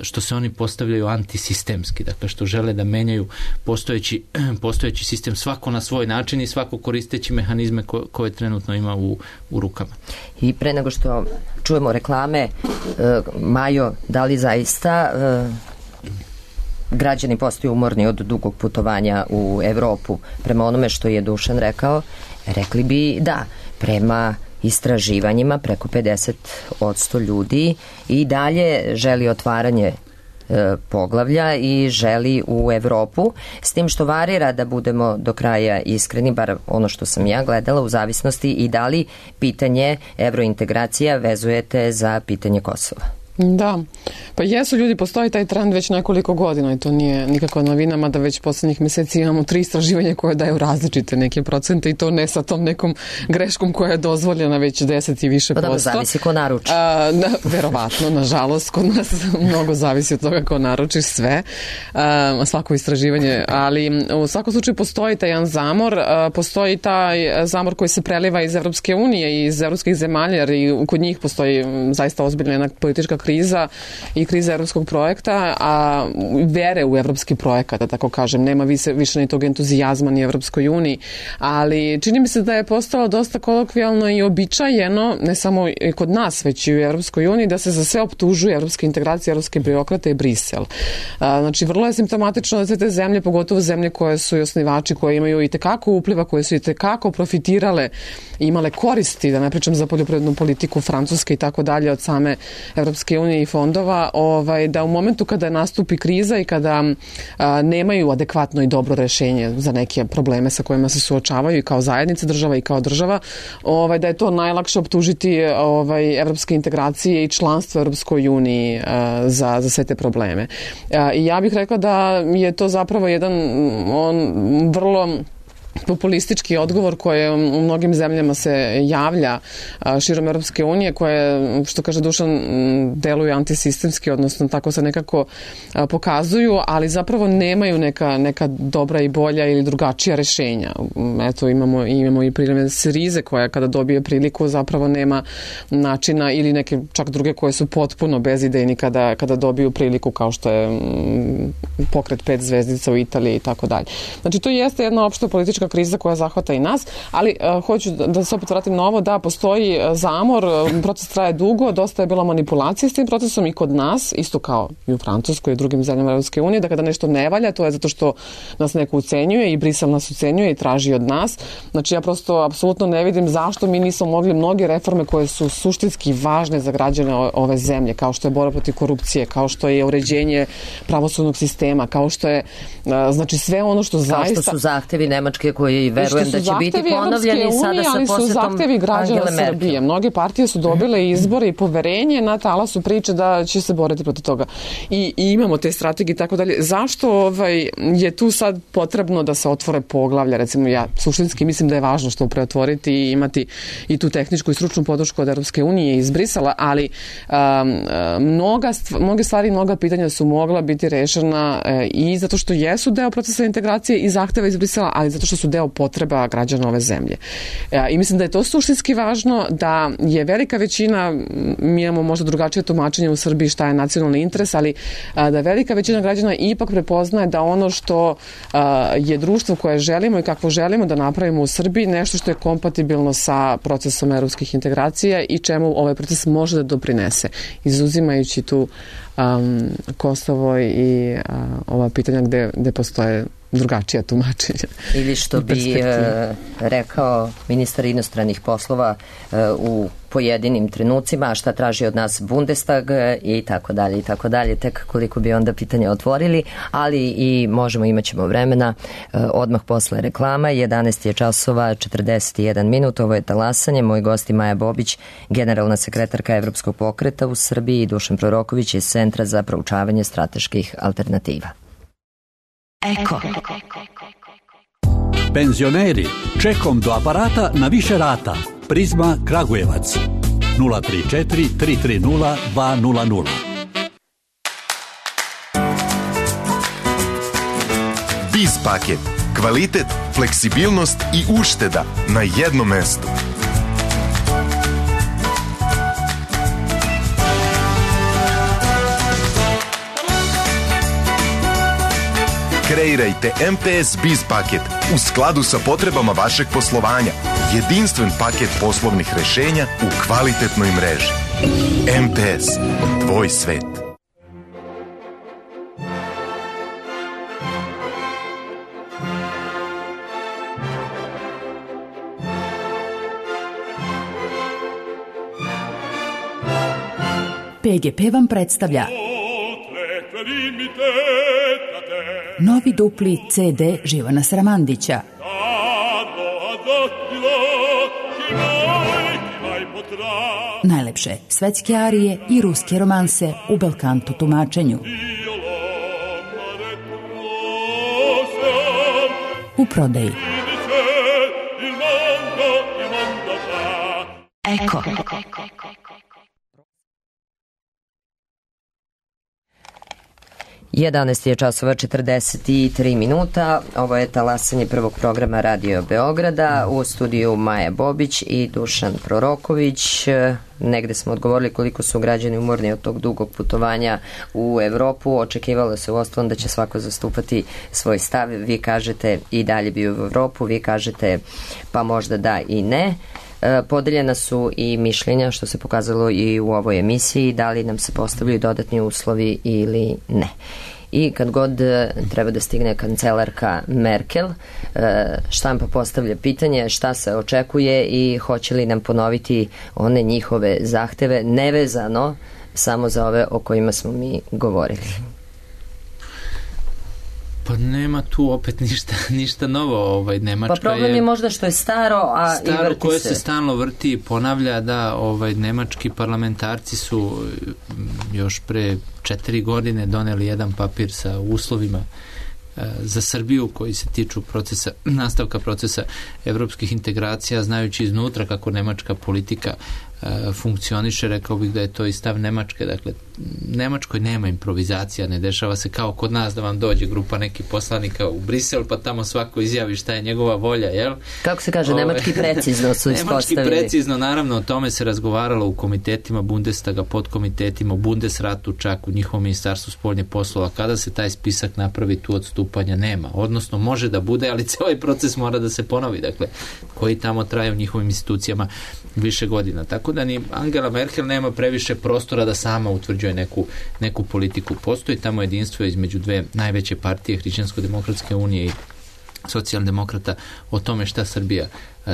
što se oni postavljaju antisistemski, dakle što žele da menjaju postojeći, postojeći sistem, svako na svoj način i svako koristeći mehanizme ko, koje trenutno ima u, u rukama. I pre nego što čujemo reklame, Majo, da li zaista građani postaju umorni od dugog putovanja u Evropu? Prema onome što je Dušan rekao, rekli bi da, prema istraživanjima preko pedeset posto ljudi i dalje želi otvaranje e, poglavlja i želi u Evropu, s tim što varira, da budemo do kraja iskreni, bar ono što sam ja gledala, u zavisnosti i da li pitanje evrointegracija vezujete za pitanje Kosova. Da, pa jesu ljudi, postoji taj trend već nekoliko godina i to nije nikakva novina, mada već poslednjih meseci imamo tri istraživanja koje daju različite neke procente i to ne sa tom nekom greškom koja je dozvoljena već deset i više posto. Pa da, zavisi ko naruči. A, da, verovatno, nažalost, kod nas mnogo zavisi od toga ko naruči sve, a, svako istraživanje, ali u svakom slučaju postoji taj jedan zamor, a, postoji taj zamor koji se preliva iz Evropske unije i iz evropskih zemalja, jer i kod njih postoji zaista ozbiljna jedna politička kriza i kriza evropskog projekta, a vere u evropski projekat, da tako kažem, nema više, više ni tog entuzijazma ni Evropskoj uniji, ali čini mi se da je postalo dosta kolokvijalno i običajeno, ne samo kod nas, već i u Evropskoj uniji, da se za sve optužuje evropske integracije, evropske birokrate i Brisel. A, znači, vrlo je simptomatično da sve te zemlje, pogotovo zemlje koje su i osnivači, koje imaju i tekako upliva, koje su i tekako profitirale, imale koristi, da ne pričam za poljoprivrednu politiku Francuske i tako dalje od same Evropske unije i fondova, ovaj, da u momentu kada nastupi kriza i kada a, nemaju adekvatno i dobro rešenje za neke probleme sa kojima se suočavaju i kao zajednica država i kao država, ovaj, da je to najlakše optužiti ovaj, evropske integracije i članstvo Evropskoj uniji a, za, za sve te probleme. A, I ja bih rekla da je to zapravo jedan on vrlo populistički odgovor koji u mnogim zemljama se javlja širom Europske unije, koje, što kaže Dušan, deluju antisistemski, odnosno tako se nekako pokazuju, ali zapravo nemaju neka, neka dobra i bolja ili drugačija rešenja. Eto, imamo, imamo i primjer Sirize koja kada dobije priliku zapravo nema načina, ili neke čak druge koje su potpuno bezidejni kada, kada dobiju priliku, kao što je pokret pet zvezdica u Italiji i tako dalje. Znači, to jeste jedna opšta politička kriza koja zahvata i nas, ali uh, hoću da, da se opet vratim na ovo, da postoji zamor, proces traje dugo, dosta je bilo manipulacije s tim procesom i kod nas, isto kao i u Francuskoj i drugim zemljama Evropske unije, da kada nešto ne valja, to je zato što nas neko ucenjuje i Brisel nas ucenjuje i traži od nas. Znači, ja prosto apsolutno ne vidim zašto mi nismo mogli mnoge reforme koje su suštinski važne za građane ove zemlje, kao što je borba protiv korupcije, kao što je uređenje pravosudnog sistema, kao što je uh, znači sve ono što kao zaista... Kao što su zahtevi Nemačke koji verujem da će biti ponovljeni sada sa posetom Angele Merkel. Srbije. Mnoge partije su dobile izbore i poverenje na talasu priče da će se boriti protiv toga. I, i imamo te strategije i tako dalje. Zašto ovaj, je tu sad potrebno da se otvore poglavlja? Recimo, ja suštinski mislim da je važno što preotvoriti i imati i tu tehničku i stručnu podršku od Evropske unije iz Brisela, ali um, mnoga, mnoge stvari, mnoga pitanja su mogla biti rešena uh, i zato što jesu deo procesa integracije i zahteva iz Brisela, ali zato što su deo potreba građana ove zemlje. I mislim da je to suštinski važno, da je velika većina, mi imamo možda drugačije tumačenje u Srbiji šta je nacionalni interes, ali da velika većina građana ipak prepoznaje da ono što je društvo koje želimo i kakvo želimo da napravimo u Srbiji, nešto što je kompatibilno sa procesom evropskih integracija i čemu ovaj proces može da doprinese, izuzimajući tu um, Kosovo i uh, ova pitanja gde, gde postoje drugačija tumačenja. Ili što bi e, rekao ministar inostranih poslova e, u pojedinim trenucima, a šta traži od nas Bundestag i tako dalje i tako dalje, tek koliko bi onda pitanja otvorili, ali i možemo, imat ćemo vremena e, odmah posle reklama. jedanaest je časova četrdeset jedan minut, ovo je Talasanje, moj gost je Maja Bobić, generalna sekretarka Evropskog pokreta u Srbiji, i Dušan Proroković iz Centra za proučavanje strateških alternativa. Eko. Penzioneri, čekom do aparata na više rata. Prizma Kragujevac nula tri četiri tri tri nula dva nula nula. Biz paket. Kvalitet, fleksibilnost i ušteda na jednom mestu. Kreirajte M P S Biz paket u skladu sa potrebama vašeg poslovanja. Jedinstven paket poslovnih rešenja u kvalitetnoj mreži. M P S. Tvoj svet. P G P vam predstavlja novi dupli C D Živana Sramandića. Najlepše svetske arije i ruske romanse u belkanto tumačenju. U prodaji. Eko. jedanaest je časova četrdeset tri minuta. Ovo je talasanje prvog programa Radio Beograda. U studiju Maja Bobić i Dušan Proroković. Negde smo odgovorili koliko su građani umorni od tog dugog putovanja u Evropu. Očekivalo se u ostalom da će svako zastupati svoj stav. Vi kažete i dalje bi u Evropu, vi kažete pa možda da i ne. Podeljena su i mišljenja, što se pokazalo i u ovoj emisiji, da li nam se postavljaju dodatni uslovi ili ne. I kad god treba da stigne kancelarka Merkel, štampa postavlja pitanje šta se očekuje i hoće li nam ponoviti one njihove zahteve, nevezano samo za ove o kojima smo mi govorili. Pa nema tu opet ništa, ništa novo. Ovaj, Nemačka pa problem je, je možda što je staro, a staro i vrti koje se. se stalno vrti i ponavlja da ovaj, nemački parlamentarci su još pre četiri godine doneli jedan papir sa uslovima e, za Srbiju koji se tiču procesa, nastavka procesa evropskih integracija, znajući iznutra kako nemačka politika funkcioniše, rekao bih da je to i stav Nemačke. Dakle, Nemačkoj nema improvizacija, ne dešava se kao kod nas da vam dođe grupa nekih poslanika u Brisel, pa tamo svako izjavi šta je njegova volja, jel? Kako se kaže, Ove, nemački precizno su ispostavili. Nemački precizno, naravno, o tome se razgovaralo u komitetima Bundestaga, podkomitetima, u Bundesratu, čak u njihovom ministarstvu spoljnih poslova. Kada se taj spisak napravi, tu odstupanja nema. Odnosno, može da bude, ali ovaj proces mora da se ponovi, dakle, koji tamo traje u njihovim institucijama više godina. Tako da ni Angela Merkel nema previše prostora da sama utvrđuje neku, neku politiku. Postoji tamo jedinstvo između dve najveće partije, Hrišćansko-demokratske unije i socijaldemokrata, o tome šta Srbija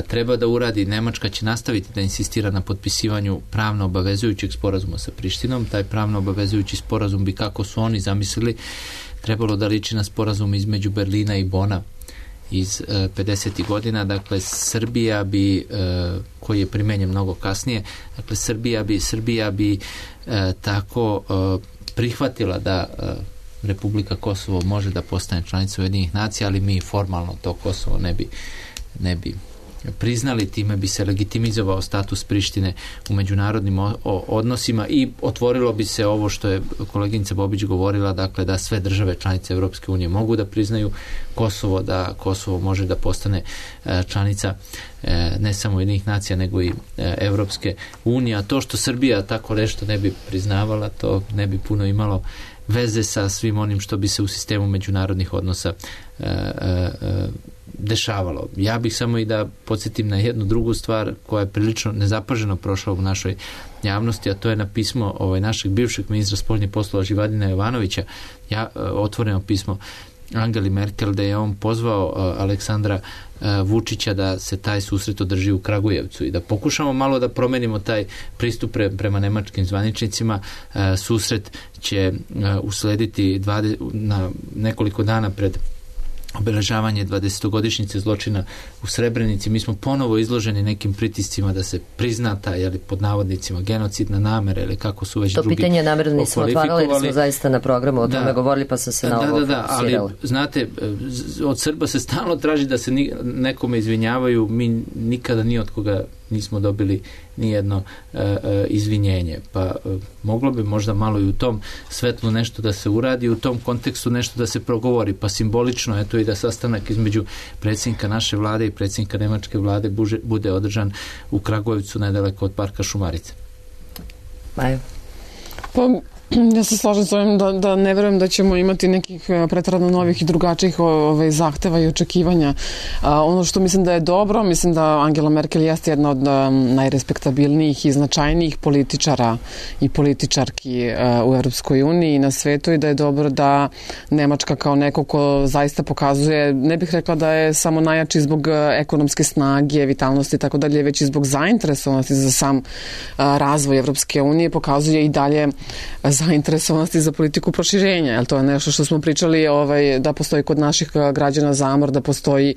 treba da uradi. Nemačka će nastaviti da insistira na potpisivanju pravno obavezujućeg sporazuma sa Prištinom. Taj pravno obavezujući sporazum bi, kako su oni zamislili, trebalo da liči na sporazum između Berlina i Bona iz e, pedesetih godina. Dakle, Srbija bi, e, koji je primenjen mnogo kasnije, dakle, Srbija bi, Srbija bi e, tako e, prihvatila da e, Republika Kosovo može da postane članica Ujedinjenih nacija, ali mi formalno to Kosovo ne bi, ne bi priznali, time bi se legitimizovao status Prištine u međunarodnim o, o, odnosima i otvorilo bi se ovo što je koleginica Bobić govorila, dakle da sve države članice Evropske unije mogu da priznaju Kosovo, da Kosovo može da postane e, članica e, ne samo Ujedinjenih nacija nego i e, Evropske unije, a to što Srbija tako nešto ne bi priznavala, to ne bi puno imalo veze sa svim onim što bi se u sistemu međunarodnih odnosa e, e, dešavalo. Ja bih samo i da podsjetim na jednu drugu stvar koja je prilično nezapaženo prošla u našoj javnosti, a to je na pismo ovaj, našeg bivšeg ministra spoljnih poslova Živadina Jovanovića, ja, otvoreno pismo Angeli Merkel, da je on pozvao uh, Aleksandra uh, Vučića da se taj susret održi u Kragujevcu i da pokušamo malo da promenimo taj pristup pre, prema nemačkim zvaničnicima. Uh, susret će uh, uslediti dvadeset, na nekoliko dana pred obeležavanje dvadesetogodišnjice zločina u Srebrenici. Mi smo ponovo izloženi nekim pritiscima da se prizna taj, jeli, pod navodnicima, genocidna namera ili kako su već to drugi To pitanje namerno nismo otvarali, jer smo zaista na programu o da, tome govorili, pa sam se na da, ovo da, da, ali, znate, od Srba se stalno traži da se ni, nekome izvinjavaju. Mi nikada ni od koga nismo dobili nijedno e, e, izvinjenje. Pa e, moglo bi možda malo i u tom svetlu nešto da se uradi, u tom kontekstu nešto da se progovori. Pa simbolično, eto i da sastanak između predsjednika naše vlade i predsjednika nemačke vlade buže, bude održan u Kragujevcu, nedaleko od parka Šumarice. Majo. Pa ja se slažem s ovim da, da ne verujem da ćemo imati nekih pretjerano novih i drugačijih ove, zahteva i očekivanja. A, ono što mislim da je dobro, mislim da Angela Merkel jeste jedna od a, najrespektabilnijih i značajnijih političara i političarki a, u Europskoj uniji i na svetu, i da je dobro da Nemačka kao neko ko zaista pokazuje, ne bih rekla da je samo najjači zbog ekonomske snage, vitalnosti i tako dalje, već i zbog zainteresovanosti za sam a, razvoj Europske unije, pokazuje i dalje zainteresovanosti za politiku proširenja, jer to je nešto što smo pričali ovaj, da postoji kod naših građana zamor, da postoji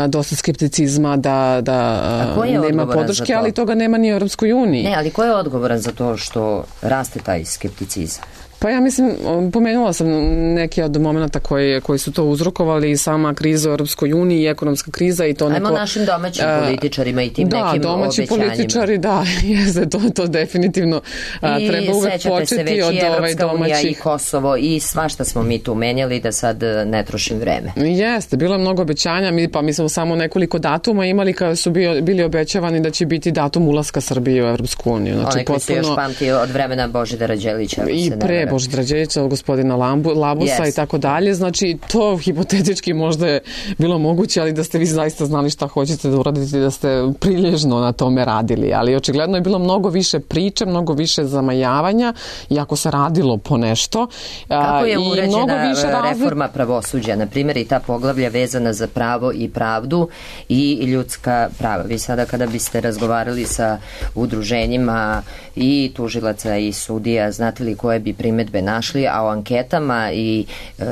dosta skepticizma, da, da nema podrške, ali toga nema ni u Europskoj uniji. Ne, ali ko je odgovoran za to što raste taj skepticizam? Pa ja mislim, pomenula sam neke od momenta koji, koji su to uzrokovali, i sama kriza u Europskoj uniji i ekonomska kriza i to neko... Ajmo našim domaćim političarima i tim da, nekim domaći obećanjima. Političari, da, jeste, to, to definitivno a, treba uvek početi od ovaj domaćih... I Kosovo i svašta smo mi tu menjali, da sad ne trošim vreme. Jeste, bilo je mnogo obećanja, mi, pa mi smo samo nekoliko datuma imali kada su bio, bili obećavani da će biti datum ulaska Srbije u Europsku uniju. Znači, Onaj koji se još pamti od vremena Božidara Đelića. I pre Božidara Đelića, gospodina Lambu, Labusa yes. i tako dalje. Znači, to hipotetički možda je bilo moguće, ali da ste vi zaista znali šta hoćete da uradite, da ste prilježno na tome radili. Ali očigledno je bilo mnogo više priče, mnogo više zamajavanja, iako se radilo po nešto. Kako je uređena reforma pravosuđa, na primjer, i ta poglavlja vezana za pravo i pravdu i ljudska prava? Vi sada kada biste razgovarali sa udruženjima i tužilaca i sudija, znate li koje bi primedbe našli, a o anketama i e,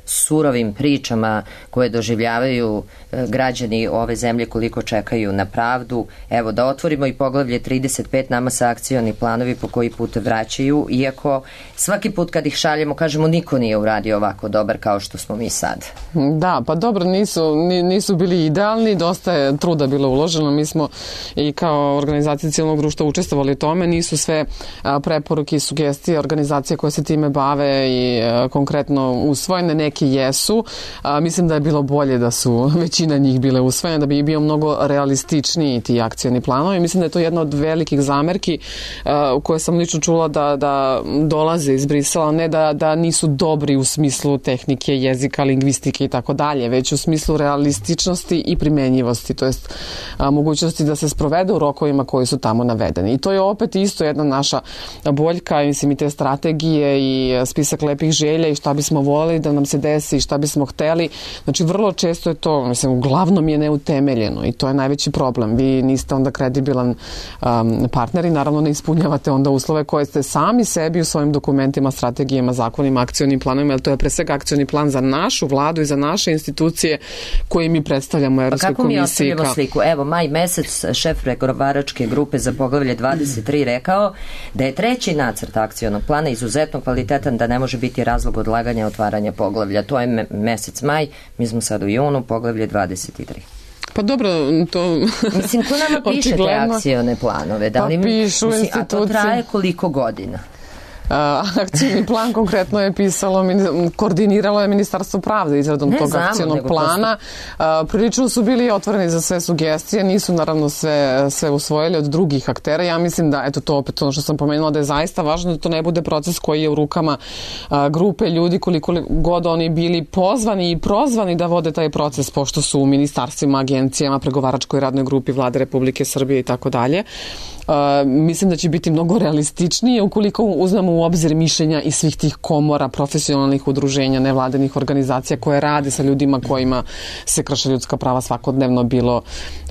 surovim pričama koje doživljavaju e, građani ove zemlje koliko čekaju na pravdu, evo da otvorimo i poglavlje trideset pet, nama se akcioni planovi po koji put vraćaju, iako svaki put kad ih šaljemo kažemo niko nije uradio ovako dobar kao što smo mi sad. Da, pa dobro, nisu, nisu bili idealni, dosta je truda bilo uloženo, mi smo i kao organizacija civilnog društva učestvovali u tome, nisu sve preporuke i sugestije organizacije koje se time bave i a, konkretno usvojene, neki jesu. A, mislim da je bilo bolje da su većina njih bile usvojene, da bi bio mnogo realističniji ti akcioni planovi. Mislim da je to jedna od velikih zamerki a, u koje sam lično čula da, da dolaze iz Brisela, ne da, da nisu dobri u smislu tehnike, jezika, lingvistike i tako dalje, već u smislu realističnosti i primenjivosti, to jest a, mogućnosti da se sprovede u rokovima koji su tamo navedeni. I to je opet isto jedna naša boljka, mislim, i te strategije i spisak lepih želja i šta bismo voljeli da nam se desi i šta bismo hteli. Znači, vrlo često je to, mislim, uglavnom je neutemeljeno i to je najveći problem. Vi niste onda kredibilan um, partner i naravno ne ispunjavate onda uslove koje ste sami sebi u svojim dokumentima, strategijama, zakonima, akcionim planovima, jer to je pre svega akcioni plan za našu vladu i za naše institucije koje mi predstavljamo u Evropskoj komisiji. Pa kako mi ostavljamo sliku? Evo, maj mesec šef pregovaračke grupe za poglavlje dvadeset tri rekao da je treći nacrt akcionog plana izuzetno kvalitetan, da ne može biti razlog odlaganja otvaranja poglavlja. To je me, mesec maj, mi smo sad u junu, poglavlje dvadeset tri. Pa dobro, to... Mislim, ko nama piše te akcione planove? Da li pa pišu mislim, institucije. A to traje koliko godina? Akcijni plan konkretno je pisalo, koordiniralo je Ministarstvo pravde izradom tog akcijnog plana. Prosto... Prilično su bili otvoreni za sve sugestije, nisu naravno sve, sve usvojili od drugih aktera. Ja mislim da, eto to opet ono što sam pomenula, da je zaista važno da to ne bude proces koji je u rukama grupe ljudi, koliko god oni bili pozvani i prozvani da vode taj proces, pošto su u ministarstvima, agencijama, pregovaračkoj radnoj grupi Vlade Republike Srbije i tako dalje. Uh, mislim da će biti mnogo realističnije ukoliko uzmemo u obzir mišljenja i svih tih komora, profesionalnih udruženja, nevladinih organizacija koje rade sa ljudima kojima se krše ljudska prava svakodnevno, bilo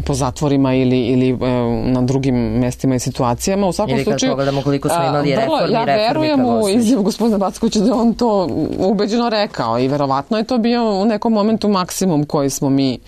po zatvorima ili, ili uh, na drugim mestima i situacijama. U svakom ili kad slučaju, pogledamo koliko smo imali reformi, vrlo, ja verujem u izjavu gospodina Backovića da on to ubeđeno rekao i verovatno je to bio u nekom momentu maksimum koji smo mi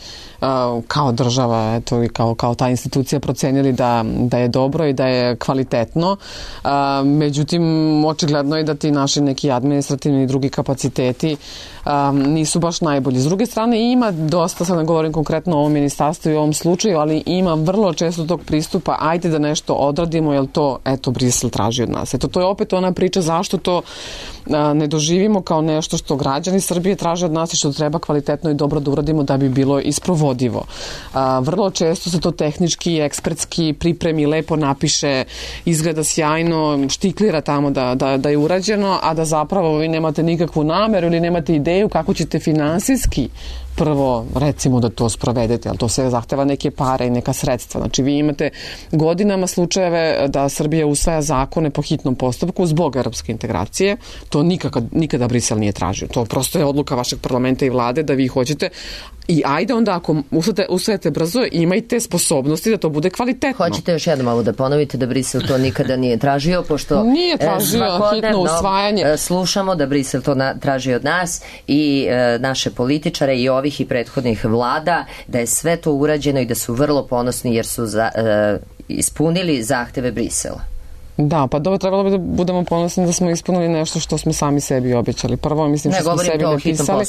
uh, kao država, eto, i kao, kao ta institucija procenili da, da je dobro i da je kvalitetno. A, međutim, očigledno je da ti naši neki administrativni i drugi kapaciteti a, nisu baš najbolji. S druge strane, ima dosta, sad ne govorim konkretno o ovom ministarstvu i o ovom slučaju, ali ima vrlo često tog pristupa, ajde da nešto odradimo, jer to, eto, Brisel traži od nas. Eto, to je opet ona priča zašto to a, ne doživimo kao nešto što građani Srbije traže od nas i što treba kvalitetno i dobro da uradimo da bi bilo isprovodivo. A, vrlo često se to tehnički, ekspertski pripremi, lepo napiše, izgleda sjajno, štiklira tamo da, da, da je urađeno, a da zapravo vi nemate nikakvu nameru ili nemate ideju kako ćete finansijski prvo recimo da to sprovedete, ali to sve zahteva neke pare i neka sredstva. Znači vi imate godinama slučajeve da Srbija usvaja zakone po hitnom postupku zbog evropske integracije. To nikada, nikada Brisel nije tražio. To prosto je odluka vašeg parlamenta i vlade da vi hoćete. I ajde onda ako usvajate, usvajate brzo, imajte sposobnosti da to bude kvalitetno. Hoćete još jednom ovo da ponovite da Brisel to nikada nije tražio, pošto nije tražio hitno usvajanje. Slušamo da Brisel to na, traži od nas i e, naše političare i ovih i prethodnih vlada, da je sve to urađeno i da su vrlo ponosni jer su za, e, ispunili zahteve Brisela. Da, pa dobro, trebalo bi da budemo ponosni da smo ispunili nešto što smo sami sebi obećali. Prvo, mislim, ne, što smo sebi napisali.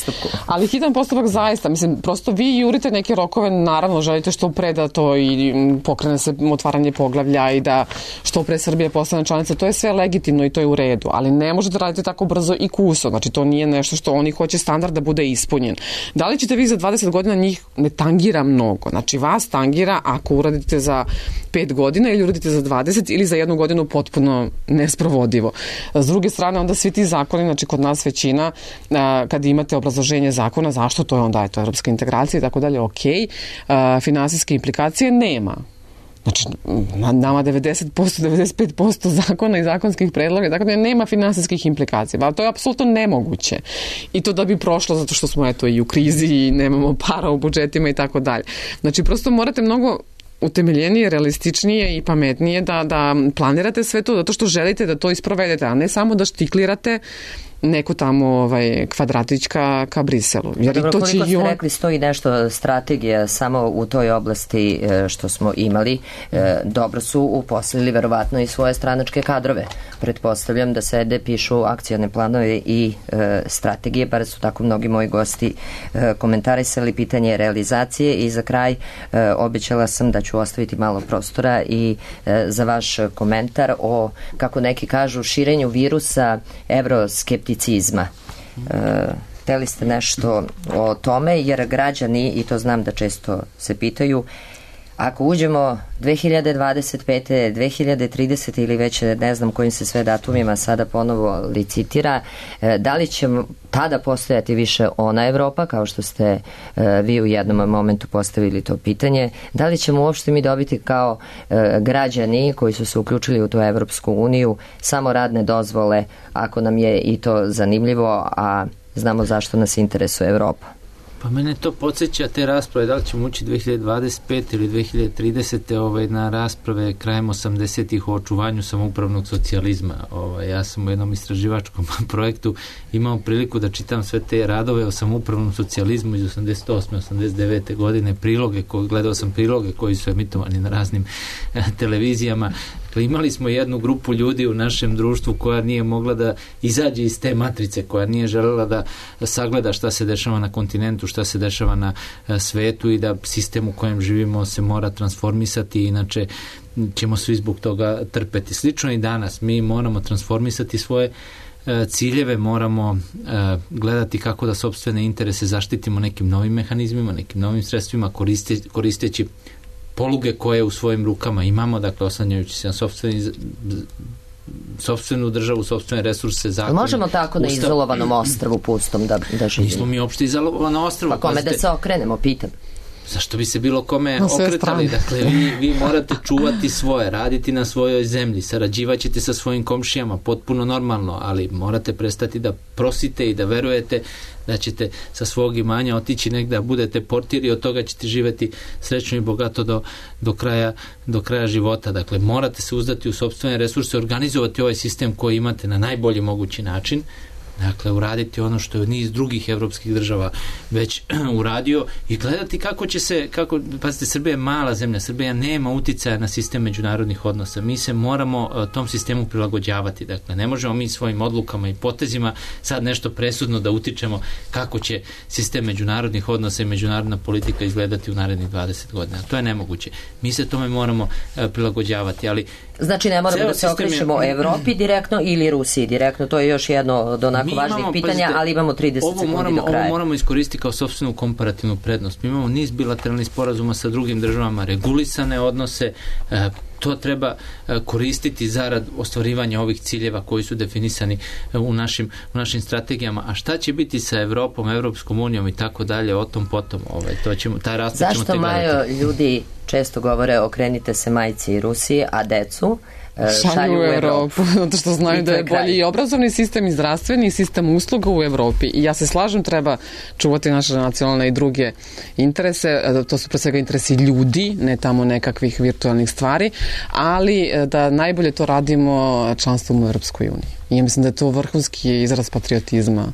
Ali hitan postupak zaista, mislim, prosto vi jurite neke rokove, naravno, želite što pre da to i pokrene se otvaranje poglavlja i da što pre Srbija postane članica, to je sve legitimno i to je u redu, ali ne možete raditi tako brzo i kuso, znači to nije nešto što oni hoće standard da bude ispunjen. Da li ćete vi za dvadeset godina, njih ne tangira mnogo, znači vas tangira ako uradite za pet godina ili uradite za dvadeset ili za jednu godinu potpuno nesprovodivo. S druge strane, onda svi ti zakoni, znači kod nas većina, kad imate obrazloženje zakona, zašto to je onda, je to evropska integracija i tako dalje, ok, finansijske implikacije nema. Znači, nama devedeset posto, devedeset pet posto zakona i zakonskih predloga, tako da nema finansijskih implikacija. Ali to je apsolutno nemoguće. I to da bi prošlo zato što smo eto i u krizi i nemamo para u budžetima i tako dalje. Znači, prosto morate mnogo utemeljenije, realističnije i pametnije da, da planirate sve to zato što želite da to isprovedete, a ne samo da štiklirate neko tamo ovaj, kvadratić ka, ka Briselu. Jer dobro, to koliko će ste on... rekli, stoji nešto strategija samo u toj oblasti što smo imali. Dobro su uposlili verovatno i svoje stranačke kadrove. Pretpostavljam da sede, pišu akcione planove i strategije, bar su tako mnogi moji gosti komentarisali pitanje realizacije i za kraj obećala sam da ću ostaviti malo prostora i za vaš komentar o, kako neki kažu, širenju virusa evroskepticizma. Hteli ste nešto o tome, jer građani, i to znam da često se pitaju, ako uđemo dve hiljade dvadeset pete, dve hiljade tridesete ili već ne znam kojim se sve datumima sada ponovo licitira, da li će tada postojati više ona Evropa, kao što ste vi u jednom momentu postavili to pitanje, da li ćemo uopšte mi dobiti kao građani koji su se uključili u tu Evropsku uniju samo radne dozvole, ako nam je i to zanimljivo, a znamo zašto nas interesuje Evropa? Pa mene to podsjeća te rasprave, da li ćemo ući dve hiljade dvadeset pete ili dve hiljade tridesete ovaj, na rasprave krajem osamdesetih o očuvanju samoupravnog socijalizma. Ovaj, ja sam u jednom istraživačkom projektu imao priliku da čitam sve te radove o samoupravnom socijalizmu iz osamdeset osme osamdeset devete godine, priloge, ko, gledao sam priloge koji su emitovani na raznim eh, televizijama. Imali smo jednu grupu ljudi u našem društvu koja nije mogla da izađe iz te matrice, koja nije želela da sagleda šta se dešava na kontinentu, šta se dešava na svetu i da sistem u kojem živimo se mora transformisati, inače ćemo svi zbog toga trpeti. Slično i danas, mi moramo transformisati svoje ciljeve, moramo gledati kako da sopstvene interese zaštitimo nekim novim mehanizmima, nekim novim sredstvima, koriste, koristeći poluge koje u svojim rukama imamo, dakle oslanjajući se na sopstveni sopstvenu državu, sopstvene resurse, zakone. Možemo tako na ustav... izolovanom ostrvu pustom da, da živimo? Nismo mi uopšte izolovano ostrvo. Pa kome pazite, da se okrenemo, pitam. Zašto bi se bilo kome okretali? Dakle, vi, vi morate čuvati svoje, raditi na svojoj zemlji, sarađivaćete sa svojim komšijama, potpuno normalno, ali morate prestati da prosite i da verujete da ćete sa svog imanja otići negde, da budete portir i od toga ćete živeti srećno i bogato do, do, kraja, do kraja života. Dakle, morate se uzdati u sopstvene resurse, organizovati ovaj sistem koji imate na najbolji mogući način. Dakle, uraditi ono što je niz drugih evropskih država već uradio i gledati kako će se, kako, pazite, Srbija je mala zemlja, Srbija nema uticaja na sistem međunarodnih odnosa. Mi se moramo uh, tom sistemu prilagođavati. Dakle, ne možemo mi svojim odlukama i potezima sad nešto presudno da utičemo kako će sistem međunarodnih odnosa i međunarodna politika izgledati u narednih dvadeset godina. To je nemoguće. Mi se tome moramo uh, prilagođavati, ali znači ne moramo da se okrećemo je... Evropi direktno ili Rusiji direktno, to je još jedno od onako mi važnih imamo, pitanja, pazite, ali imamo trideset sekundi moramo, do kraja. Ovo moramo iskoristiti kao sopstvenu komparativnu prednost. Mi imamo niz bilateralnih sporazuma sa drugim državama, regulisane odnose, to treba koristiti zarad ostvarivanja ovih ciljeva koji su definisani u našim, u našim strategijama. A šta će biti sa Evropom, Evropskom unijom i tako dalje, o tom potom, ovaj, to ćemo, taj raspad ćemo te gledati. Zašto, Majo, ljudi često govore okrenite se majci i Rusiji, a decu šalju, šalju u Evropu? Zato što znaju da je bolji i obrazovni sistem i zdravstveni sistem usluga u Evropi. I ja se slažem, treba čuvati naše nacionalne i druge interese. To su pre svega interesi ljudi, ne tamo nekakvih virtualnih stvari, ali da najbolje to radimo članstvom u Evropskoj uniji. I ja mislim da je to vrhunski izraz patriotizma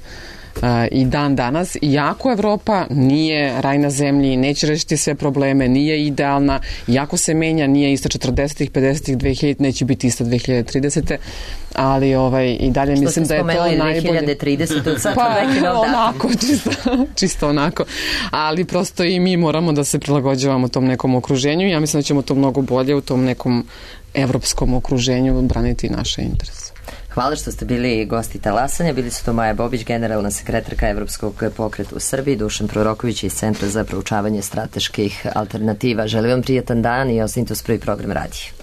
i dan danas, iako Evropa nije raj na zemlji, neće rešiti sve probleme, nije idealna, iako se menja, nije ista četrdesetih, pedesetih, dve hiljadite, neće biti ista dve hiljade tridesete, ali ovaj, i dalje što mislim da je to najbolje. Što ste spomenuli dve hiljade tridesete, sad pa, onako, čisto, čisto onako, ali prosto i mi moramo da se prilagođavamo tom nekom okruženju i ja mislim da ćemo to mnogo bolje u tom nekom evropskom okruženju braniti naše interese. Hvala što ste bili gosti Talasanja. Bili su to Maja Bobić, generalna sekretarka Evropskog pokreta u Srbiji, Dušan Proroković iz Centra za proučavanje strateških alternativa. Želim vam prijatan dan i ostanite uz Prvi program radija.